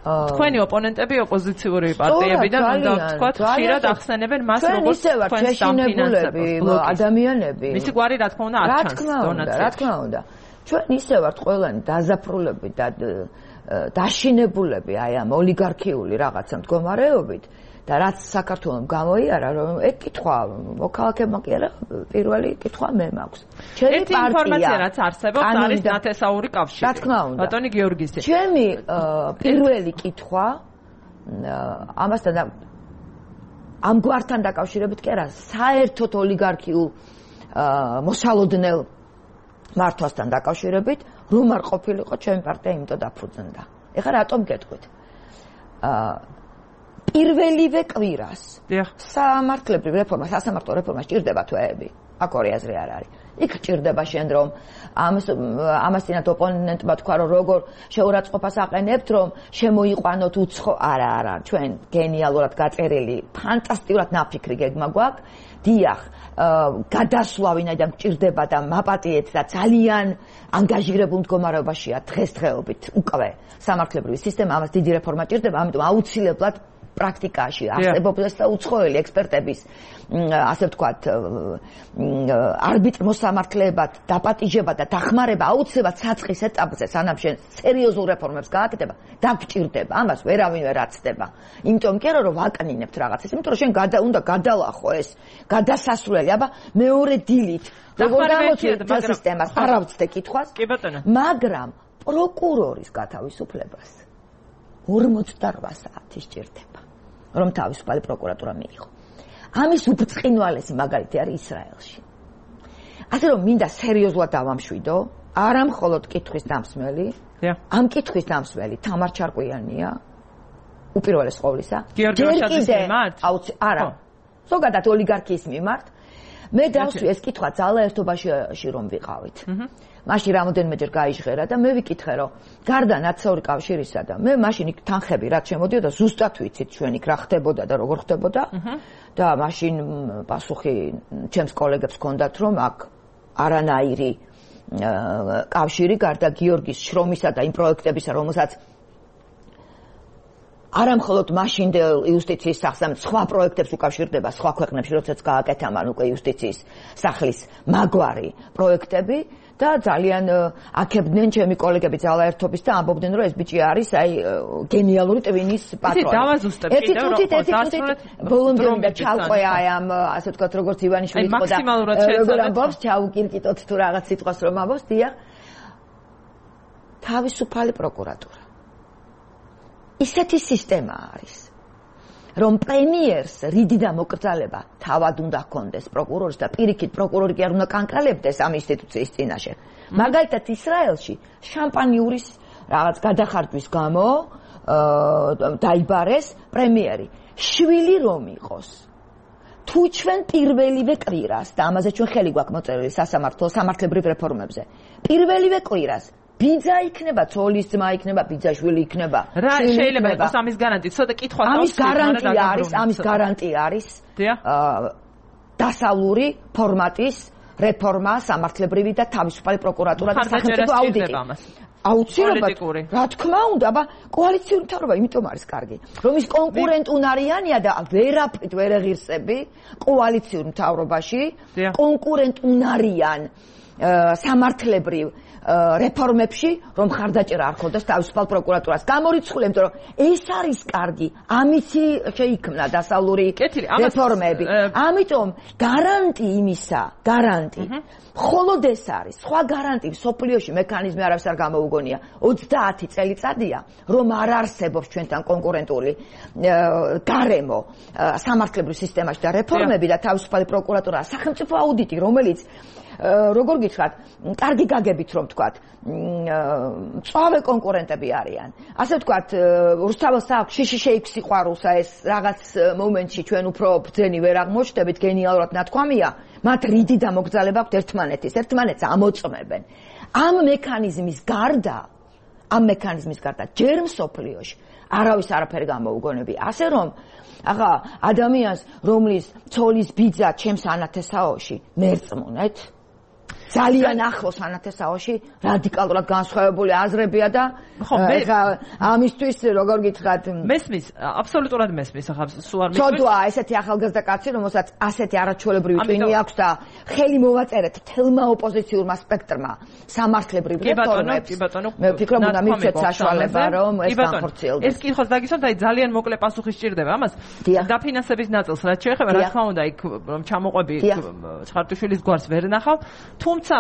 S1: თქვენი ოპონენტები ოპოზიციური პარტიებიდან უნდა ვთქვათ, ხშირად ახსენებენ მას როგორც თქვენს დამფინანსებელს.
S4: ადამიანები.
S1: მისი გვარი რა თქმა უნდა არ ჩანს დონაციებში.
S4: რა თქმა უნდა. ჩვენ ისე ვართ ყველანი დაზაფრულები და დაშინებულები აი ამ ოლიგარქიული რაღაცა მდგომარეობით და რაც საქართველოს გამოიარა, რომ ეგ კითხვა მოქალაქეებმა კი არა, პირველი კითხვა მე მაქვს.
S1: ჩემი პარტია ინფორმაცია რაც არსებობს არის ნათესაური კავშირი.
S4: რა თქმა უნდა.
S1: ბატონი გიორგისი.
S4: ჩემი პირველი კითხვა ამასთან ამ გვართან დაკავშირებით კი არა, საერთოდ ოლიგარქიულ მოსალოდნელ მართვასთან დაკავშირებით, რომ არ ყოფილიყო ჩემი პარტია იმიტომ დაფუძნდა. ეხლა რატომ გეტყვით? პირველივე კვირას სამართლებრივ რეფორმა, სასამართლო რეფორმა სჭირდება თვეები. აქ ორი აზრი არ არის. იქ სჭირდება შენ რომ ამასთანავე ოპონენტმა თქვა რომ როგორ შეურაცხყოფას აყენებთ რომ შემოიყვანოთ უცხო არა ჩვენ გენიალურად გაწერილი ფანტასტიკურად ნაფიქრი გეგმა გვაქვს დიახ გადასვლა ვინაიდან გჭირდება და მაპატიეთ და ძალიან ანგაჟირებულ მდგომარეობაშია დღესდღეობით უკვე სამართლებრივი სისტემა ამას დიდი რეფორმა სჭირდება ამიტომ აუცილებლად პრაქტიკაში არსებობს და უცხოელი ექსპერტების ასე ვთქვათ არბიტრ მოსამართლეებად დაპატიჟება და დახმარება აუცილებლად საწყის ეტაპზე სანამ შენ სერიოზულ რეფორმებს გააკეთება დაგჭირდება ამას ვერავინ ვერ აცდება იმიტომ კი არა რომ ვაკნინებთ რაღაცას იმიტომ რომ შენ უნდა გადალახო ეს გადასასვლელი აბა მეორე დილით როგორ გამოწვევ სისტემას არ ავწდე კითხვას
S1: კი ბატონო
S4: მაგრამ პროკურორის გათავისუფლებას 48 საათი სჭირდება რომ თავისუფალი პროკურატურა მიიღო. ამის უბრწყინვალესი მაგალითი არის ისრაელში. ასე რომ მინდა სერიოზულად დავამშვიდო, არა მხოლოდ კითხვის დამსმელი, ამ კითხვის დამსმელი თამარ ჩარკვიანია, უპირველეს ყოვლისა.
S1: გიორგი ვაშაძის მიმართ?
S4: არა. ზოგადად ოლიგარქიის მიმართ. მე დავსვი ეს კითხვა ძალა ერთობაში რომ ვიყავით. მაშინ რამოდენმეჯერ გაიჟღერა და მე ვიკითხე რომ გარდა ნაციონალური კავშირისა და მე მაშინ იქ თანხები რაც შემოდიოდა ზუსტად ვიცით ჩვენ იქ რა ხდებოდა და როგორ ხდებოდა და მაშინ პასუხი ჩემს კოლეგებს ჰქონდათ რომ აქ არანაირი კავშირი გარდა გიორგის შრომისა და იმ პროექტებისა რომელსაც არა მხოლოდ მაშინდელ იუსტიციის სახსამთ სხვა პროექტებს უკავშირდება სხვა ქვეყნებში როდესაც გააკეთა მან უკვე იუსტიციის სახლის მაგვარი პროექტები და ძალიან აქებდნენ ჩემი კოლეგები ძალაერთობის და ამბობდნენ რომ ეს ბიჭი არის აი გენიალური ტვინის პატრონი.
S1: ერთი
S4: წუთით ბოლომდე და ჩავყვე აი ამ ასე ვთქვათ როგორც ივანიშვილი იყო და როგორ ამბობს ჩაუკირკიტოთ თუ რაღაც სიტყვას რომ ამბობს დიახ თავისუფალი პროკურატურა ისეთი სისტემა არის რომ პრემიერს რიდი და მოკრძალება თავად უნდა ჰქონდეს პროკურორის და პირიქით პროკურორი კი არ უნდა კანკალებდეს ამ ინსტიტუციის წინაშე. მაგალითად ისრაელში შამპანიურის რაღაც გადახარდვის გამო დაიბარეს პრემიერი. შვილი რომ იყოს. თუ ჩვენ პირველივე კვირას და ამაზე ჩვენ ხელი გვაქვს მოწერილი სამართლებრივ რეფორმებზე. პირველივე კვირას ბიძა იქნება, ცოლის ძმა იქნება, ბიძაშვილი იქნება.
S1: რა შეიძლება იყოს ამის გარანტია? ცოტა კითხვა
S4: ამის გარანტია არის დასავლური ფორმატის რეფორმა, სამართლებრივი და თავისუფალი პროკურატურა და სახელმწიფო აუდიტი. აუცილებლად. რა თქმა უნდა, აბა კოალიციური მთავრობა იმიტომ არის კარგი, რომ ის კონკურენტუნარიანია და ვერაფრით ვერ ეღირსები კოალიციური მთავრობაში კონკურენტუნარიან სამართლებრივ რეფორმებში რომ ხარდაჭერა არ ხონდეს თავისუფალ პროკურატურას. გამორიცხული, იმიტომ რომ ეს არის კარგი, ამითი შეიქმნა დასავლური რეფორმები. ამიტომ გარანტი იმისა, მხოლოდ ეს არის. სხვა გარანტი სოფლიოში მექანიზმი არავის არ გამოუგონია. 30 წელიწადია, რომ არ არსებობს ჩვენთან კონკურენტული გარემო სამართლებრივ სისტემაში და რეფორმები და თავისუფალი პროკურატურა, სახელმწიფო აუდიტი, რომელიც როგორ გითხრათ, კარგი გაგებით რომ ვთქვათ, მწვავე კონკურენტები არიან. ასე ვთქვათ, რუსთაველს აქვს შიში შეიქს სიყვარულსა ეს რაღაც მომენტში ჩვენ უფრო ბრძენი ვერ აღმოჩნდებით, გენიალურად ნათქვამია, მათ რიდი დამოგზავნება აქვს ერთმანეთს ამოწმებენ. ამ მექანიზმის გარდა ჯერ მსოფლიოში არავის არაფერი გამოუგონებია. ასე რომ ახლა ადამიანს, რომლის ცოლის ბიძა ჩემს ანათესაოში მერწმუნეთ, ძალიან ახლოს ანათესაოში რადიკალურად განსხვავებული აზრებია და ამისთვის როგორ გითხრათ
S1: მესმის აბსოლუტურად მესმის ახლა სულ არ
S4: მისმის ცოდვა ესეთი ახალგაზრდა კაცი რომელსაც ასეთი არაჩვეულებრივი ტვინი აქვს და ხელი მოვაწერეთ თელმა ოპოზიციურმა სპექტრმა სამართლებრივ რეფორმებს მე ვფიქრობ უნდა მივცეთ საშუალება რომ ეს განხორციელდეს
S1: ეს კითხოს დაგისვამთ აი ძალიან მოკლე პასუხი სჭირდება ამას დაფინანსების ნაწილს რაც შეეხება რა თქმა უნდა იქ რომ ჩამოყვები ცხარტიშვილის გვარს ვერ ნახავ თუმცა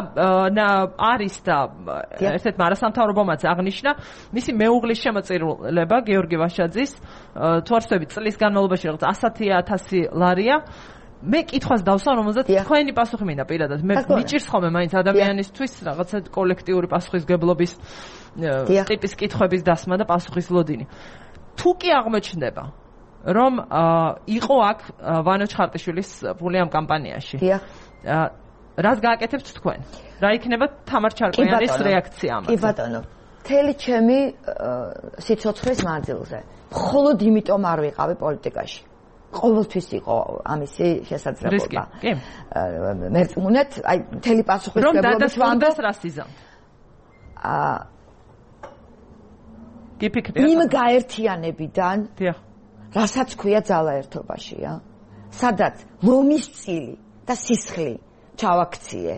S1: არის და ერთ-ერთ არასამთავრობომაც აღნიშნა მისი მეუღლის შემოწირულება გიორგი ვაშაძის თუ არ ვცდები წლის განმავლობაში რაღაც 100,000 ლარია მე კითხვას დავსვამ რომელზეც თქვენი პასუხი მინდა პირადად მე მიჭირს ხოლმე მაინც ადამიანისთვის რაღაცა კოლექტიური პასუხისგებლობის ტიპის კითხვების დასმა და პასუხის ლოდინი თუ კი აღმოჩნდება რომ იყო აქ ვანო ჩხარტიშვილის ფული ამ კამპანიაში რას გააკეთებთ თქვენ? რა იქნება თამარ ჩარკვიანის რეაქცია ამაზე?
S4: კი ბატონო, მთელი ჩემი სიცოცხლის მანძილზე. მხოლოდ იმიტომ არ ვიყავი პოლიტიკაში. ყოველთვის იყო ამისი შესაძლებლობა.
S1: კი.
S4: მერწმუნეთ, აი მთელი პასუხისმგებლობის
S1: ვამბობ რას იზამთ? გიფიქრეთ.
S4: იმ გაერთიანებიდან, რასაც ქვია ძალაერთობაშია, სადაც ლომის წილი და სისხლი ჩავაქციე,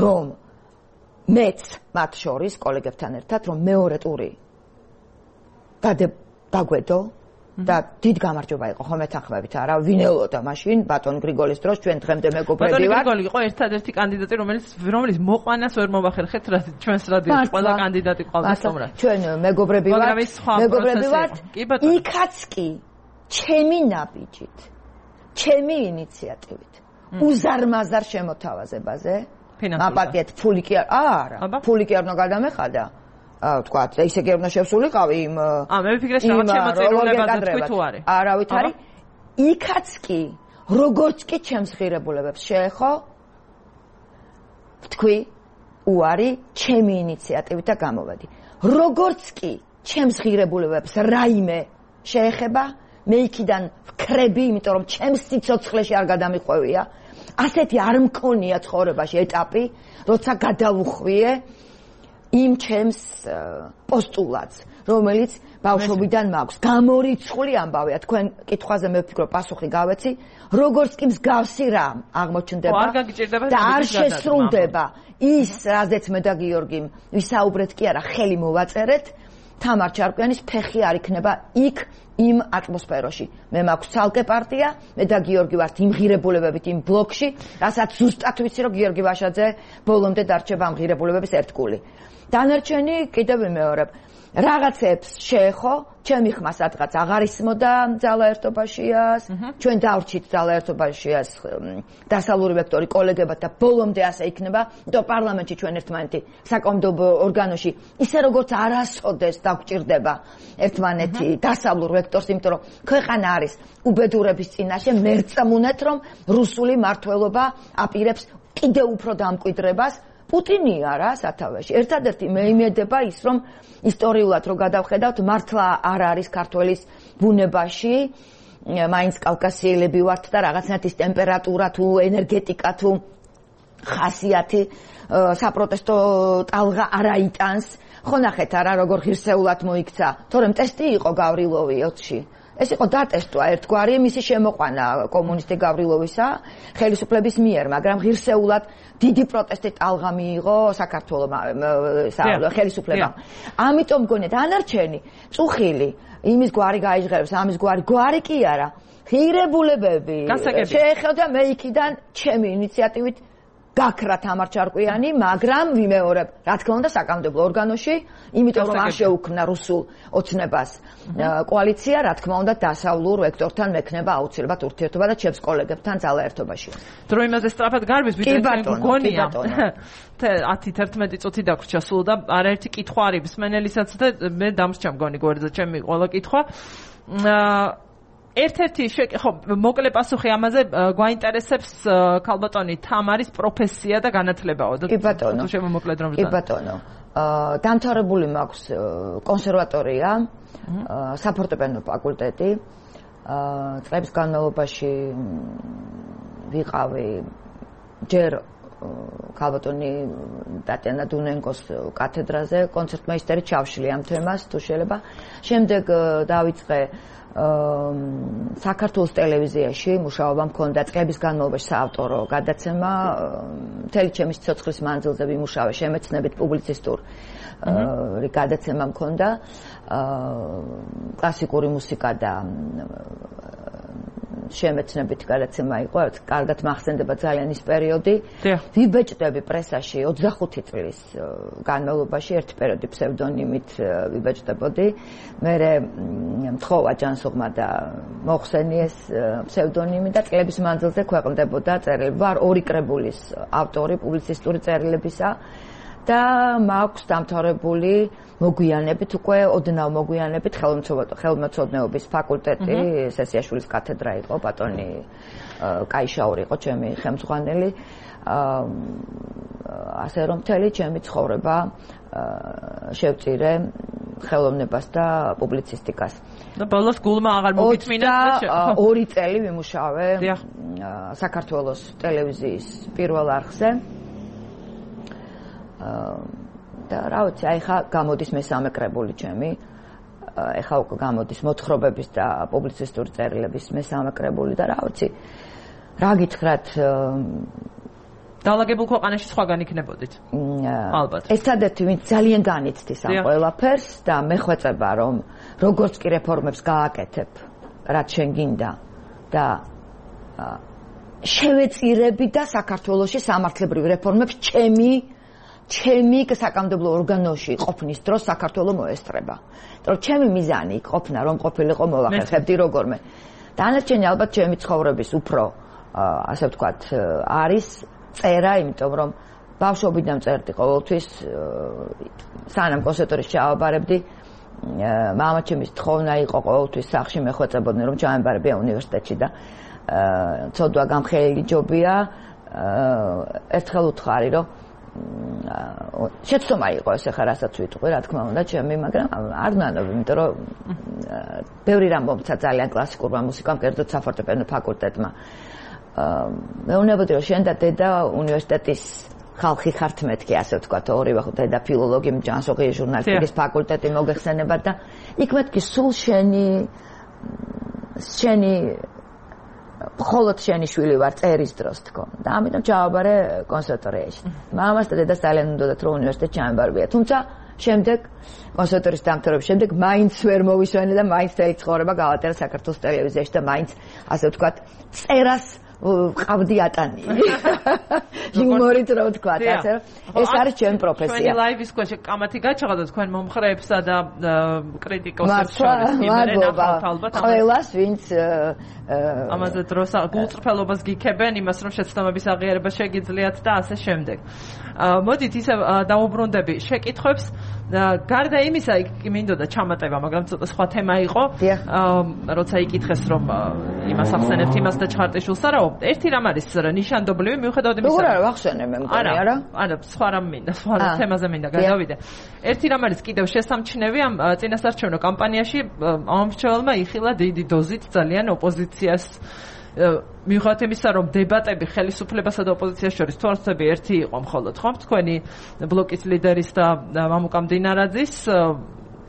S4: რომ მეც მათ შორის კოლეგებთან ერთად, რომ მეორე ტური დაგვედო და დიდ გამარჯობა იყო ხომ ეთანხმებით არა ვინელოდა მაშინ ბატონ გრიგოლის დროს ჩვენ დღემდე მეგობრები ვართ
S1: ბატონ გრიგოლი იყო ერთადერთი კანდიდატი რომელიც მოყვანას ვერ მოვახერხეთ ჩვენს რადიოში ყველა კანდიდატი ყავდა სტუმრად
S4: ჩვენ მეგობრები ვართ იქაც კი ჩემი ნაბიჯით ჩემი ინიციატივით უზარმაზარ შემოთავაზებაზე მაპატიეთ ფული კი არა ფული კი არ უნდა გადამეხადა თქვა ესე კი არ უნდა შევსულიყავი იმ
S1: მე ვფიქრე რაღაც შემოწირულება და თქვი თუ არის
S4: არავით არის იქაც კი როგორც კი ჩემს ღირებულებებს შეეხო თქვი უარი ჩემი ინიციატივით და გამოვედი როგორც კი ჩემს ღირებულებებს რაიმე შეეხება მე იქიდან ვქრები იმიტომ რომ ჩემს სიცოცხლეში არ გადამიყვევია ასეთი არ მქონია ცხოვრებაში ეტაპი, როცა გადავუხვიე იმ ჩემს პოსტულატს, რომელიც ბავშვობიდან მაქვს. გამორიცხული ამბავია, თქვენ კითხვაზე მე ვფიქრობ პასუხი გავეცი, როგორც კი მსგავსი რამ აღმოჩნდება და არ შესრულდება ის, რაზეც მე და გიორგიმ ვისაუბრეთ კი არა, ხელი მოვაწერეთ, თამარ ჩარკვიანის ფეხი არ იქნება იქ იმ ატმოსფეროში. მე მაქვს ცალკე პარტია, მე და გიორგი ვართ იმ ღირებულებებით იმ ბლოკში, რასაც ზუსტად ვიცი, რომ გიორგი ვაშაძე ბოლომდე დარჩება ამ ღირებულებების ერთგული. დანარჩენი კიდევ ვიმეორებ, რაღაცებს შეეხო, ჩემი ხმა სადღაც აღარ ისმოდა ძალაერთობაშიას, ჩვენ დავრჩით ძალაერთობაშიას დასავლური ვექტორი კოლეგებად და ბოლომდე ასე იქნება, და პარლამენტში ჩვენ ერთმანეთი საკომდობო ორგანოში ისე როგორც არასოდეს დაგვჭირდება ერთმანეთი დასავლურ ვექტორს, იმიტომ რომ ქვეყანა არის უბედურების წინაშე, მერწმუნეთ რომ რუსული მართლობა აპირებს კიდევ უფრო დამკვიდრებას პუტინია რა სათავეში. ერთადერთი მე იმედება ის რომ ისტორიულად რო გადავხედავთ მართლა არ არის ქართველის ბუნებაში მაინც კავკასიელები ვართ და რაღაცნაირად ის ტემპერატურა თუ ენერგეტიკა თუ ხასიათი საპროტესტო ტალღა არ აიტანს. ხო ნახეთ არა როგორ ღირსეულად მოიქცა, თორემ ტესტი იყო გავრილოვი 20-ში. ეს იყო დატესტვა ერთგვარი მისი შემოყვანა კომუნისტი გავრილოვისა ხელისუფლების მიერ, მაგრამ ღირსეულად დიდი პროტესტი ტალღა მიიღო საქართველოს ხელისუფლებამ. ამიტომ მგონია დანარჩენი წუხილი იმის გვარი გაიჟღერებს, ამის გვარი კი არა. ღირებულებები შეეხება მე იქიდან ჩემი ინიციატივით გაქრა თამარ ჩარკვიანი, მაგრამ ვიმეორებ, რა თქმა უნდა საკანონმდებლო ორგანოში, იმიტომ რომ არ შეუქმნა რუსულ ოცნებას კოალიცია, რა თქმა უნდა დასავლურ ვექტორთან მექნება აუცილებლად ურთიერთობა და ჩემს კოლეგებთან ძალაერთობაში.
S1: დრო იმაზე სწრაფად გარბის ვიდრე გონია. 10-11 წუთი დაგვრჩა სულ და არაერთი კითხვა არის მსმენელისაც და მე დამსჭა მგონი გვერდზე ჩემი ყველა კითხვა. ერთ-ერთი ხო მოკლე პასუხი ამაზე გვაინტერესებს ქალბატონი თამარის პროფესია და განათლებაო და თუ შემომოკლედ რომ
S4: კი ბატონო დამთავრებული მაქვს კონსერვატორია საფორტეპიანო ფაკულტეტი წლების განმავლობაში ვიყავი ჯერ ქალბატონი ტატიანა დუნენკოს კათედრაზე კონცერტმეისტერი ჩავშლი ამ თემას თუ შეიძლება შემდეგ დავიწყე საქართველოს ტელევიზიაში მუშაობა მქონდა წლების განმავლობაში საავტორო გადაცემა მთელი ჩემი სიცოცხლის მანძილზე ვიმუშავე შემეცნებით პუბლიცისტურ გადაცემა მქონდა კლასიკური მუსიკა და შემეცნებით გადაცემა იყო, კარგად მახსენდება ძალიან ის პერიოდი. ვიბეჭდები პრესაში 25 წლის განმავლობაში ერთი პერიოდი ფსევდონიმით ვიბეჭდებოდი. მერე მთხოვა ჯანსუღმა და მოხსენიეს ფსევდონიმი და წლების მანძილზე ქვეყნდებოდა წერილები. ვარ 2 კრებულის ავტორი პუბლიცისტური წერილებისა და მაქვს დამთავრებული მოგვიანებით უკვე ოდნავ მოგვიანებით ხელმეცნიერების ფაკულტეტი სესიაშვილის კათედრა იყო ბატონი კაიშაური იყო ჩემი ხელმძღვანელი ასე რომ მთელი ჩემი ცხოვრება შევწირე ხელოვნებას და პუბლიცისტიკას
S1: და ბოლოს გულმა აღარ მოგიწმინა
S4: 2 წელი ვიმუშავე საქართველოს ტელევიზიის პირველ არხზე და რა ვიცი, აი ხა გამოდის მესამე კრებული ჩემი. ეხა უკვე გამოდის მოთხრობების და პუბლიცისტური წერილების მესამე კრებული და რა ვიცი. რა გითხრათ
S1: დაალაგებულ ქვეყანაში სხვაგან იქნებოდით. ალბათ.
S4: ერთადერთი ვინც ძალიან განიცდის ამ ყველაფერს და მეხვეწება რომ როგორც კი რეფორმებს გააკეთებ, რაც შენ გინდა და შევეწირები და საქართველოში სამართლებრივ რეფორმებს ჩემი საკანონმდებლო ორგანოში ყოფნის დროს საქართველოს მოესწრება. იმიტომ ჩემი მიზანი იქ ყოფნა რომ ყოფილიყო მოვახერხებდი როგორმე. დანარჩენი ალბათ ჩემი ცხოვრების უფრო ასე ვთქვათ არის წერა, იმიტომ რომ ბავშვობიდან წერდი ყოველთვის სანამ კონსერვატორიაში ჩავაბარებდი მამაჩემის თხოვნა იყო ყოველთვის სახლში მეხვეწებოდნენ რომ ჩავაბარებია უნივერსიტეტში და ცოდვა გამხელილი ჯობია ერთხელ უთხარი რომ შეცდომა იყო ეს ახლა რასაც ვიტყვი, რა თქმა უნდა, ჩემი, მაგრამ არ ნანობ, იმიტომ რომ ბევრი რამ მომცა ძალიან კლასიკურმა მუსიკამ, კერძოდ საფორტეპიანო ფაკულტეტმა. მეუბნებოდი, რომ შენ და დედა უნივერსიტეტის ხალხი ხართ მეთქი, ასე ვთქვათ, ორივე ხო დედა ფილოლოგი, ჯანსუღი ჟურნალისტიკის ფაკულტეტი მოგეხსენებათ და იქ მეთქი სულ შენი მხოლოდ შენი შვილი ვარ წერის დროს თქო და ამიტომ ჩავაბარე კონსერვატორიაში. მამას და დედას ძალიან უნდათ რომ უნივერსიტეტში ჩამებარებია. თუმცა შემდეგ კონსერვატორიის დამთავრების შემდეგ მაინც ვერ მოვისვენე და მაინც მთელი ცხოვრება გავატარა საქართველოს ტელევიზიაში და მაინც ასე ვთქვათ წერას ყავდი ატანი. იუმორით რა ვთქვათ, ასე ეს არის ჩემი პროფესია.
S1: ჩვენი ლაივის ქვეშ კამათი გაჩაღდა თქვენ მომხრეებსა და კრიტიკოსებს შორის იმერენ ახალ
S4: ყველას ვინც
S1: ამაზე დროს გულწრფელობას გიქებენ იმას რომ შეცდომების აღიარება შეგიძლიათ და ასე შემდეგ. მოდით ისე დავუბრუნდები შეკითხვებს გარდა იმისა იქ მინდოდა ჩამატება, მაგრამ ცოტა სხვა თემა იყო. როცა იკითხეს რომ იმას ახსენებთ იმას და ჩხარტიშვილს არაო, ერთი რამ არის ნიშანდობლივი მიუხედავად იმისა.
S4: როგორ არა ვახსენე მე მგონი არა?
S1: არა, სხვა რამ მინდა, სხვა თემაზე მინდა გადავიდე. ერთი რამ არის კიდევ შესამჩნევი ამ წინასარჩევნო კამპანიაში ამომრჩეველმა იხილა დიდი დოზით ძალიან ოპოზიციას მიუხედავად იმისა, რომ დებატები ხელისუფლებასა და ოპოზიციას შორის თორსები ერთი იყო მხოლოდ, ხო? თქვენი ბლოკის ლიდერის და მამუკა მდინარაძის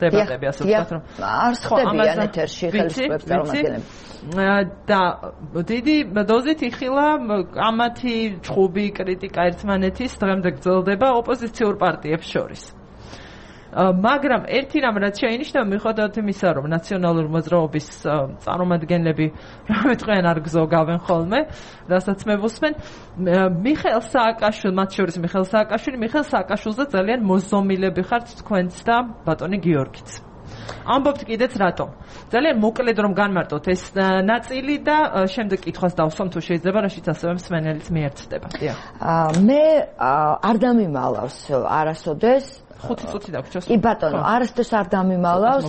S1: დებატები ასე ვთქვათ რომ
S4: არ ხდებიან ეთერში ხელისუფლების წარმომადგენლები
S1: და დიდი დოზით იხილა კამათი ჭხუბი კრიტიკა ერთმანეთის დღემდე გრძელდება ოპოზიციურ პარტიებს შორის მაგრამ ერთი რამ რაც შეინიშნება მიუხედავად იმისა რომ ნაციონალური მოძრაობის წარმომადგენლები რამე თქვენ არ გზოგავენ ხოლმე რასაც მე ვუსმენ მიხეილ სააკაშვილი მათ შორის მიხეილ სააკაშვილზე ძალიან მოზომილები ხართ თქვენც და ბატონი გიორგიც ამბობთ კიდეც რატომ ძალიან მოკლედ რომ განმარტოთ ეს ნაწილი და შემდეგ კითხვას დავსვამ თუ შეიძლება რაშიც ასევე მსმენელიც მიერთდება
S4: მე არ დამიმალავს არასოდეს
S1: 5 წუთი დაგვრჩოს.
S4: კი ბატონო, არასდროს არ დამიმალავს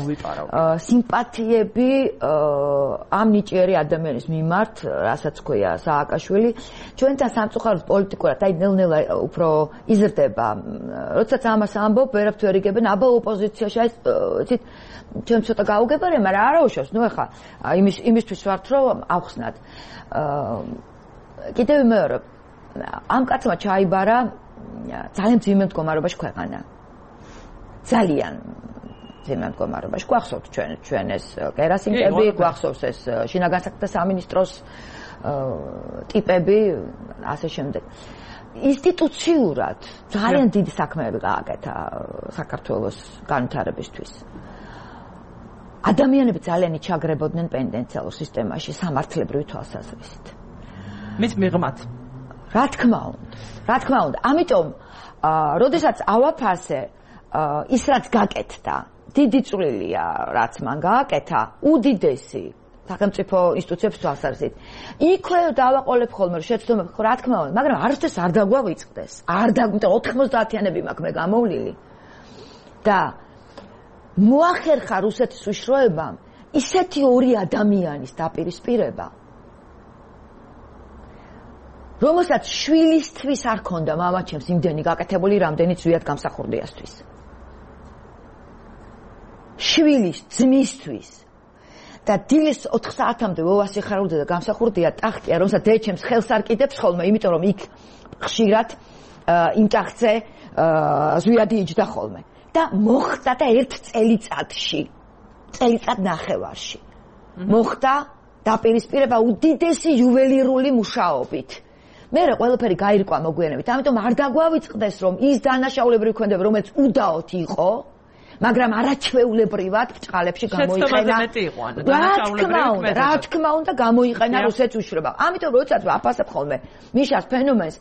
S4: სიმპათიები ამ ნიჭიერი ადამიანის მიმართ, რასაც ქვია სააკაშვილი. ჩვენთან სამწუხაროდ პოლიტიკურად, აი ნელ-ნელა უფრო იზრდება. როდესაც ამას ამბობ, ვერაფრ ვერ იგებენ, აბა ოპოზიციაში, აი, იცით, ჩვენ ცოტა გაუგებარია, მაგრამ არა უშავს, ნუ ეხა იმისთვის ვართ, რომ ავხსნათ. კიდევ მეორე, ამ კაცმა ჩაიბარა ძალიან ძიმე მდგომარეობაში ქვეყანა. ძალიან ძიმე მდგომარეობაში. გვახსოვთ ჩვენ ეს კერასინკები, გვახსოვს ეს შინაგან საქმეთა სამინისტროს ტიპები, ასე შემდეგ. ინსტიტუციურად ძალიან დიდი საქმეები გააკეთა საქართველოს განვითარებისთვის. ადამიანები ძალიან იჩაგრებოდნენ პენდენციალურ სისტემაში სამართლებრივი თვალსაზრისით.
S1: მის მიღმაც.
S4: რა თქმა უნდა. ამიტომ, როდესაც ავაფასე ის რაც გაკეთდა, დიდი წვლილია, რაც მან გააკეთა, უდიდესი სახელმწიფო ინსტიტუციების თვალსაზრისით. იქვე დავაყოლებ ხოლმე, შეცდომები, რა თქმა უნდა, მაგრამ არასდროს არ დაგვავიწყდეს. არ დაგმიტა 90-იანები მაქვს მე გამოვლილი. და მოახერხა რუსეთის უშროებამ ისეთი ორი ადამიანის დაპირისპირება, რომელსაც შვილისთვის არ ქონდა მამაჩემს იმდენი გაკეთებული, რამდენიც ზვიად გამსახურდიასთვის. შვილის ძმისთვის და დილის 4 საათამდე ვოვას იხარულდა და გამსახურდია ტახტია, რომელსაც დედაჩემს ხელს არ კიდებს ხოლმე, იმიტომ რომ იქ ხშირად იმ ტახტზე ზვიადი იჯდა ხოლმე. და მოხდა და ერთ წელიწად ნახევარში. მოხდა დაპირისპირება უდიდესი იუველირული მუშაობით. მე ყველაფერი გაირკვა მოგვიანებით, ამიტომ არ დაგვავიწყდეს, რომ ის დანაშაულებრივი ქმედება, რომელიც უდაოდ იყო, მაგრამ არაჩვეულებრივად ბრჭყალებში გამოიყენა. რა თქმა უნდა, გამოიყენა რუსეთს უშრობა. ამიტომ როდესაც ვაფასებ ხოლმე მიშას ფენომენს,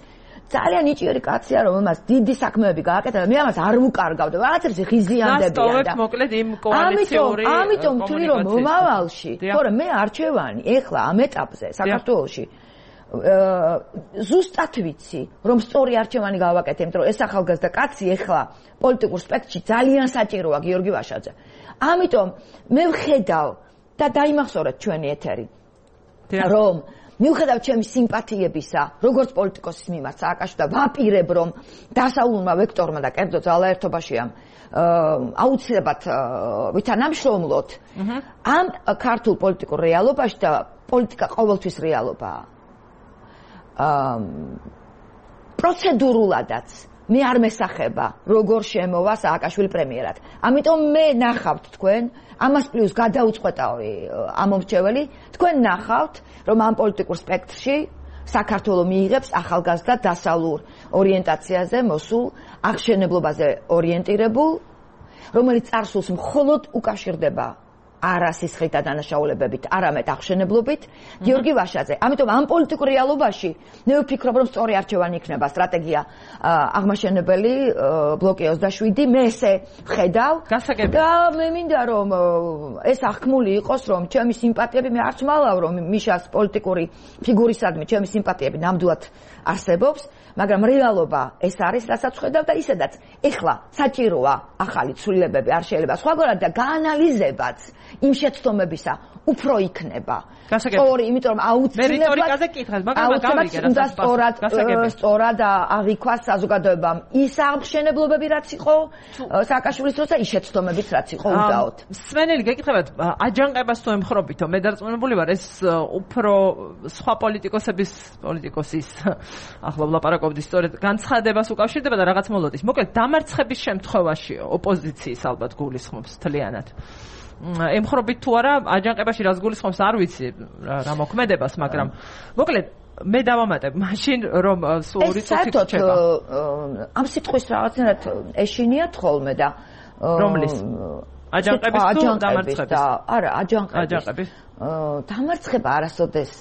S4: ძალიან ნიჭიერი კაცია, რომელმაც დიდი საქმეები გააკეთა და მე ამას არ ვუკარგავდი. რაღაცებს ღიზიანდებიან და
S1: მოკლედ იმ კოალიციური
S4: ამიტომ ვთვლი, რომ მომავალში, თორე მე არჩევანი ეხლა ამ ეტაპზე საქართველოში ზუსტად ვიცი, რომ სწორი არჩევანი გავაკეთე, იმიტომ რომ ეს ახალგაზრდა კაცი ეხლა პოლიტიკურ სპექტრში ძალიან საჭიროა გიორგი ვაშაძე. ამიტომ მე ვხედავ და დაიმახსოვრეთ ჩვენი ეთერი, რომ მიუხედავად ჩემი სიმპათიებისა, როგორც პოლიტიკოსის მიმართ სააკაშვილს და ვაპირებ, რომ დასავლურმა ვექტორმა და კერძო ძალაერთობაშია აუცილებლად ვითანამშრომლოთ ამ ქართულ პოლიტიკურ რეალობაში და პოლიტიკა ყოველთვის რეალობაა. პროცედურულადაც მე არ მესახება როგორ შემოვა სააკაშვილი პრემიერად. ამიტომ მე ნახავთ თქვენ, ამას პლუს გადაუწყვეტავი ამომრჩეველი, თქვენ ნახავთ, რომ ამ პოლიტიკურ სპექტრში საქართველოს მიიღებს ახალგაზრდა დასავლურ ორიენტაციაზე მოსულ აღშენებლობაზე ორიენტირებულ, რომელიც წარსულს მხოლოდ უკავშირდება არა სისხლით და დანაშაულებებით, არამედ აღშენებლობით, გიორგი ვაშაძე. ამიტომ ამ პოლიტიკურ რეალობაში მე ვფიქრობ, რომ სწორი არჩევანი იქნება სტრატეგია აღმაშენებელი ბლოკი 27, მე ესე ვხედავ და მე მინდა რომ ეს აღქმული იყოს, რომ ჩემი სიმპათიები მე არც მალავ, რომ მიშას პოლიტიკური ფიგურისადმი ჩემი სიმპათიები ნამდვილად არსებობს, მაგრამ რეალობა ეს არის, რასაც ვხედავ და ისედაც ეხლა საჭიროა ახალი ცვლილებები, არ შეიძლება სხვაგვარად და გაანალიზებაც იმ შეცდომებისა უფრო იქნება. სწორი, იმიტომ რომ
S1: მერიტორიკაზე კითხავთ, მაგრამ გავიგე რა
S4: სწორად აღიქვა საზოგადოებამ ის აღმშენებლობები რაც იყო სააკაშვილის დროს და ის შეცდომებიც რაც იყო უდაოდ.
S1: სვენელი გეკითხებათ, აჯანყებას თუ ემხრობითო, მე დარწმუნებული ვარ ეს უფრო სხვა პოლიტიკოსის ახლა ვლაპარაკობდი სწორედ განცხადებას უკავშირდება და რაღაც მოლოდის. მოკლედ დამარცხების შემთხვევაში ოპოზიციის ალბათ გულისხმობს თლიანად. ემხრობით თუ არა აჯანყებაში რას გულისხმობს არ ვიცი რა მოქმედებას, მაგრამ მოკლედ მე დავამატებ მაშინ რომ სულ ორი წუთი რჩება.
S4: ამ სიტყვის რაღაცნაირად ეშინიათ ხოლმე და
S1: რომლის აჯანყების თუ დამარცხების?
S4: არა, აჯანყების. დამარცხება არასოდეს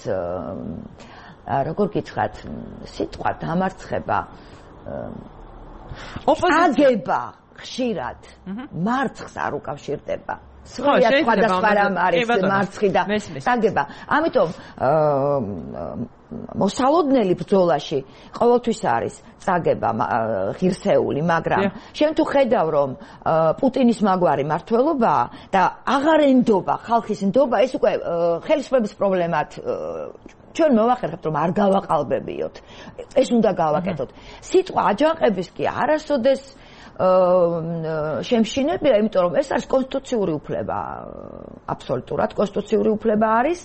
S4: როგორ გითხრათ, სიტყვა დამარცხება აგება ხშირად მარცხს არ უკავშირდება. სხვადასხვა რამ არის მარცხი და აგება. ამიტომ მოსალოდნელი ბრძოლაში ყოველთვის არის წაგება ღირსეული, მაგრამ შენ თუ ხედავ რომ პუტინის მაგვარი მართლობაა და აღარ ენდობა ხალხის ნდობა, ეს უკვე ხელისუფლების პრობლემად ჩვენ მოვახერხებთ რომ არ გავაყალბებიოთ. ეს უნდა გავაკეთოთ. სიტყვა აჯანყების კი არასოდეს შემშინებია, იმიტომ რომ ეს არის კონსტიტუციური უფლება, აბსოლუტურად კონსტიტუციური უფლება არის.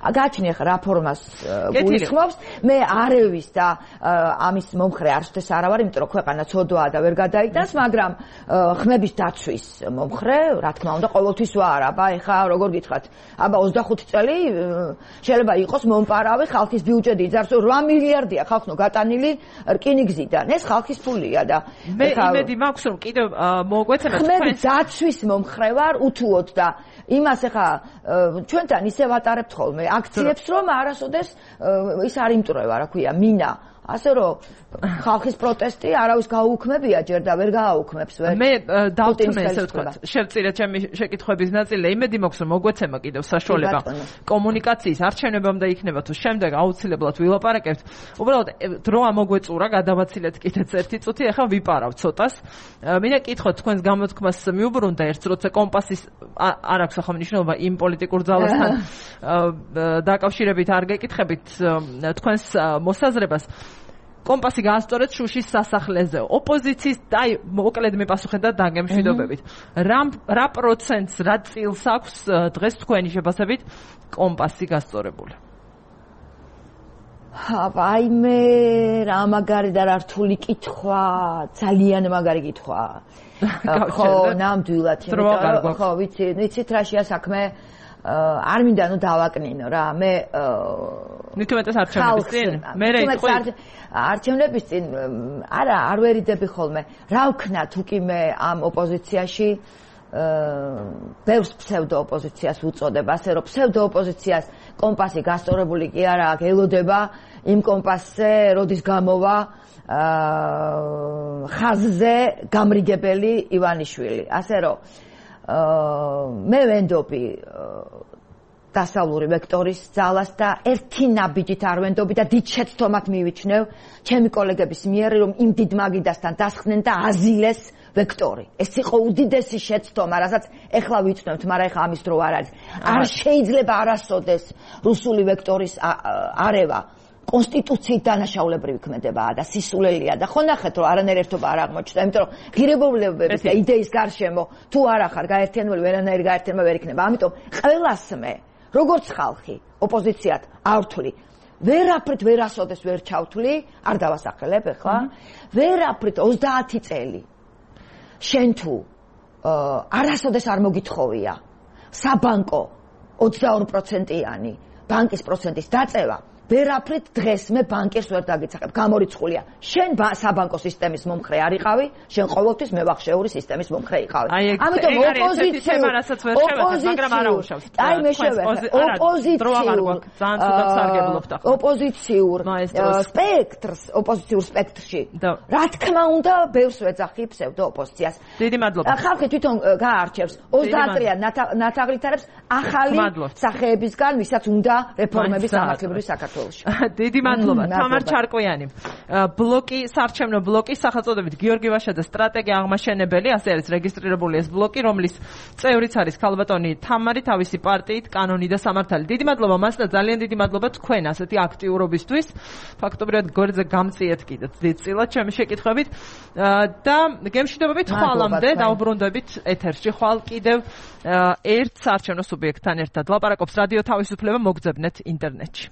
S4: გააჩნია რა ფორმას გულისხმობს, მე არევის და ამის მომხრე არცდეს არა ვარ, იმიტომ რომ ქვეყანა ცოდვაა და ვერ გადაიტანს, მაგრამ ხმების დაცვის მომხრე, რა თქმა უნდა, ყოველთვის ვარ. აბა ეხა როგორ გითხრათ, აბა 25 წელი შეიძლება იყოს მომპარავი ხალხის ბიუჯეტი იძარს 8 მილიარდია ხალხო გატანილი რკინიგზიდან. ეს ხალხის ფულია და
S1: მე იმედი მაქვს რომ კიდევ მოგვეცემათ
S4: ხმების დაცვის მომხრე ვარ უთუოდ და იმას ეხა ჩვენთან ისე ვატარებთ ხოლმე აქციებს რომ არასოდეს ის არ იმტრევა რა ქვია მინა ასე რომ ხალხის პროტესტი არავის გაუქმებია ჯერ და ვერ გააუქმებს ვერ
S1: მე დავთმე ესე ვთქვათ შევწირე ჩემი შეკითხვების ნაწილი იმედი მაქვს რომ მოგვეცემა კიდევ საშუალება კომუნიკაციის არჩევნებამდე იქნება თუ შემდეგ აუცილებლად ვილაპარაკებთ უბრალოდ დრო ამოგვეწურა გადავაცილეთ კიდეც ერთი წუთი ახლა ვიპარავ ცოტას მინდა კითხოთ თქვენს გამოთქმას მიუბრუნდა ერთ როცა კომპასის არ აქვს ახლა მნიშვნელობა იმ პოლიტიკურ ძალასთან დაკავშირებით არ გეკითხებით თქვენს მოსაზრებას კომპასი გაასწორეთ შუშის სასახლეზე. ოპოზიციის და მოკლედ მიპასუხეთ დაგემშვიდობებით. რა პროცენტს, რა წილს აქვს დღეს თქვენი შეფასებით კომპასი გასწორებული?
S4: აი მე რა მაგარი და რა რთული კითხვა, ძალიან მაგარი კითხვა. ხო, ნამდვილად. ხო, ვიცით რა შეა საქმე არ მინდა ნუ დავაკნინო რა მე
S1: ნიკომეტას არჩევნების წინ მე
S4: არჩევნების წინ არა არ ვერიდები ხოლმე რა ვქნათ უკი მე ამ ოპოზიციაში ბევრს ფსევდო ოპოზიციას უწოდება ასე რომ ფსევდო ოპოზიციას კომპასი გასწორებული კი არა აქ ელოდება იმ კომპასზე როდის გამოვა ხაზზე გამრიგებელი ივანიშვილი ასე რომ მე ვენდობი დასავლური ვექტორის ძალას და ერთი ნაბიჯით არ ვენდობი და დიდ შეცდომად მივიჩნევ ჩემი კოლეგების მიერ რომ იმ დიდ მაგიდასთან დასხდნენ და აზილეს ვექტორი. ეს იყო უდიდესი შეცდომა, რასაც ეხლა ვიწნევთ, მაგრამ ეხლა ამის დრო არ არის. არ შეიძლება არასოდეს რუსული ვექტორის არევა კონსტიტუციით დანაშაულებრივი ქმედებაა და სისულელია და ხო ნახეთ რომ არანაირი ერთობა არ აღმოჩნდა, იმიტომ რომ ღირებულებების და იდეის გარშემო თუ არ ახარ გაერთიანებული ვერანაირი გაერთიანება ვერ იქნება. ამიტომ ყველას მე როგორც ხალხი ოპოზიციად ავთვლი ვერაფრით ვერასოდეს ვერ ჩავთვლი, არ დავასახელებ ეხლა, ვერაფრით 30 წელი შენ თუ არასოდეს არ მოგითხოვია საბანკო 22%-იანი ბანკის პროცენტის დაწევა ვერაფრით დღეს მე ბანკირს ვერ დაგიცახებ, გამორიცხულია. შენ საბანკო სისტემის მომხრე არ იყავი, შენ ყოველთვის მევახშეური სისტემის მომხრე იყავი.
S1: ამიტომ
S4: ოპოზიციურ სპექტრში რა თქმა უნდა ბევრს ვეძახი ფსევდო ოპოზიციას.
S1: დიდი მადლობა.
S4: ხალხი თვითონ გაარჩევს 30-იან ნათაღლითარებს ახალი სახეებისგან, ვისაც უნდა რეფორმების სამართლებრივი საქართველოს საქართველოში.
S1: დიდი მადლობა თამარ ჩარკვიანი. ბლოკი საარჩევნო ბლოკი სახელწოდებით გიორგი ვაშაძე სტრატეგია აღმაშენებელი, ასე არის რეგისტრირებული ეს ბლოკი, რომლის წევრიც არის ქალბატონი თამარი თავისი პარტიით კანონი და სამართალი. დიდი მადლობა მას და ძალიან დიდი მადლობა თქვენ ასეთი აქტიურობისთვის. ფაქტობრივად გვერდზე გამწიეთ კიდეც დიდწილად ჩემი შეკითხვებით და გემშვიდობებით ხვალამდე დავბრუნდებით ეთერში. ხვალ კიდევ ერთ საარჩევნო სუბიექტთან ერთად ლაპარაკობს რადიო თავისუფლება, მოგძებნეთ ინტერნეტში.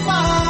S5: Far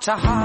S5: to hide.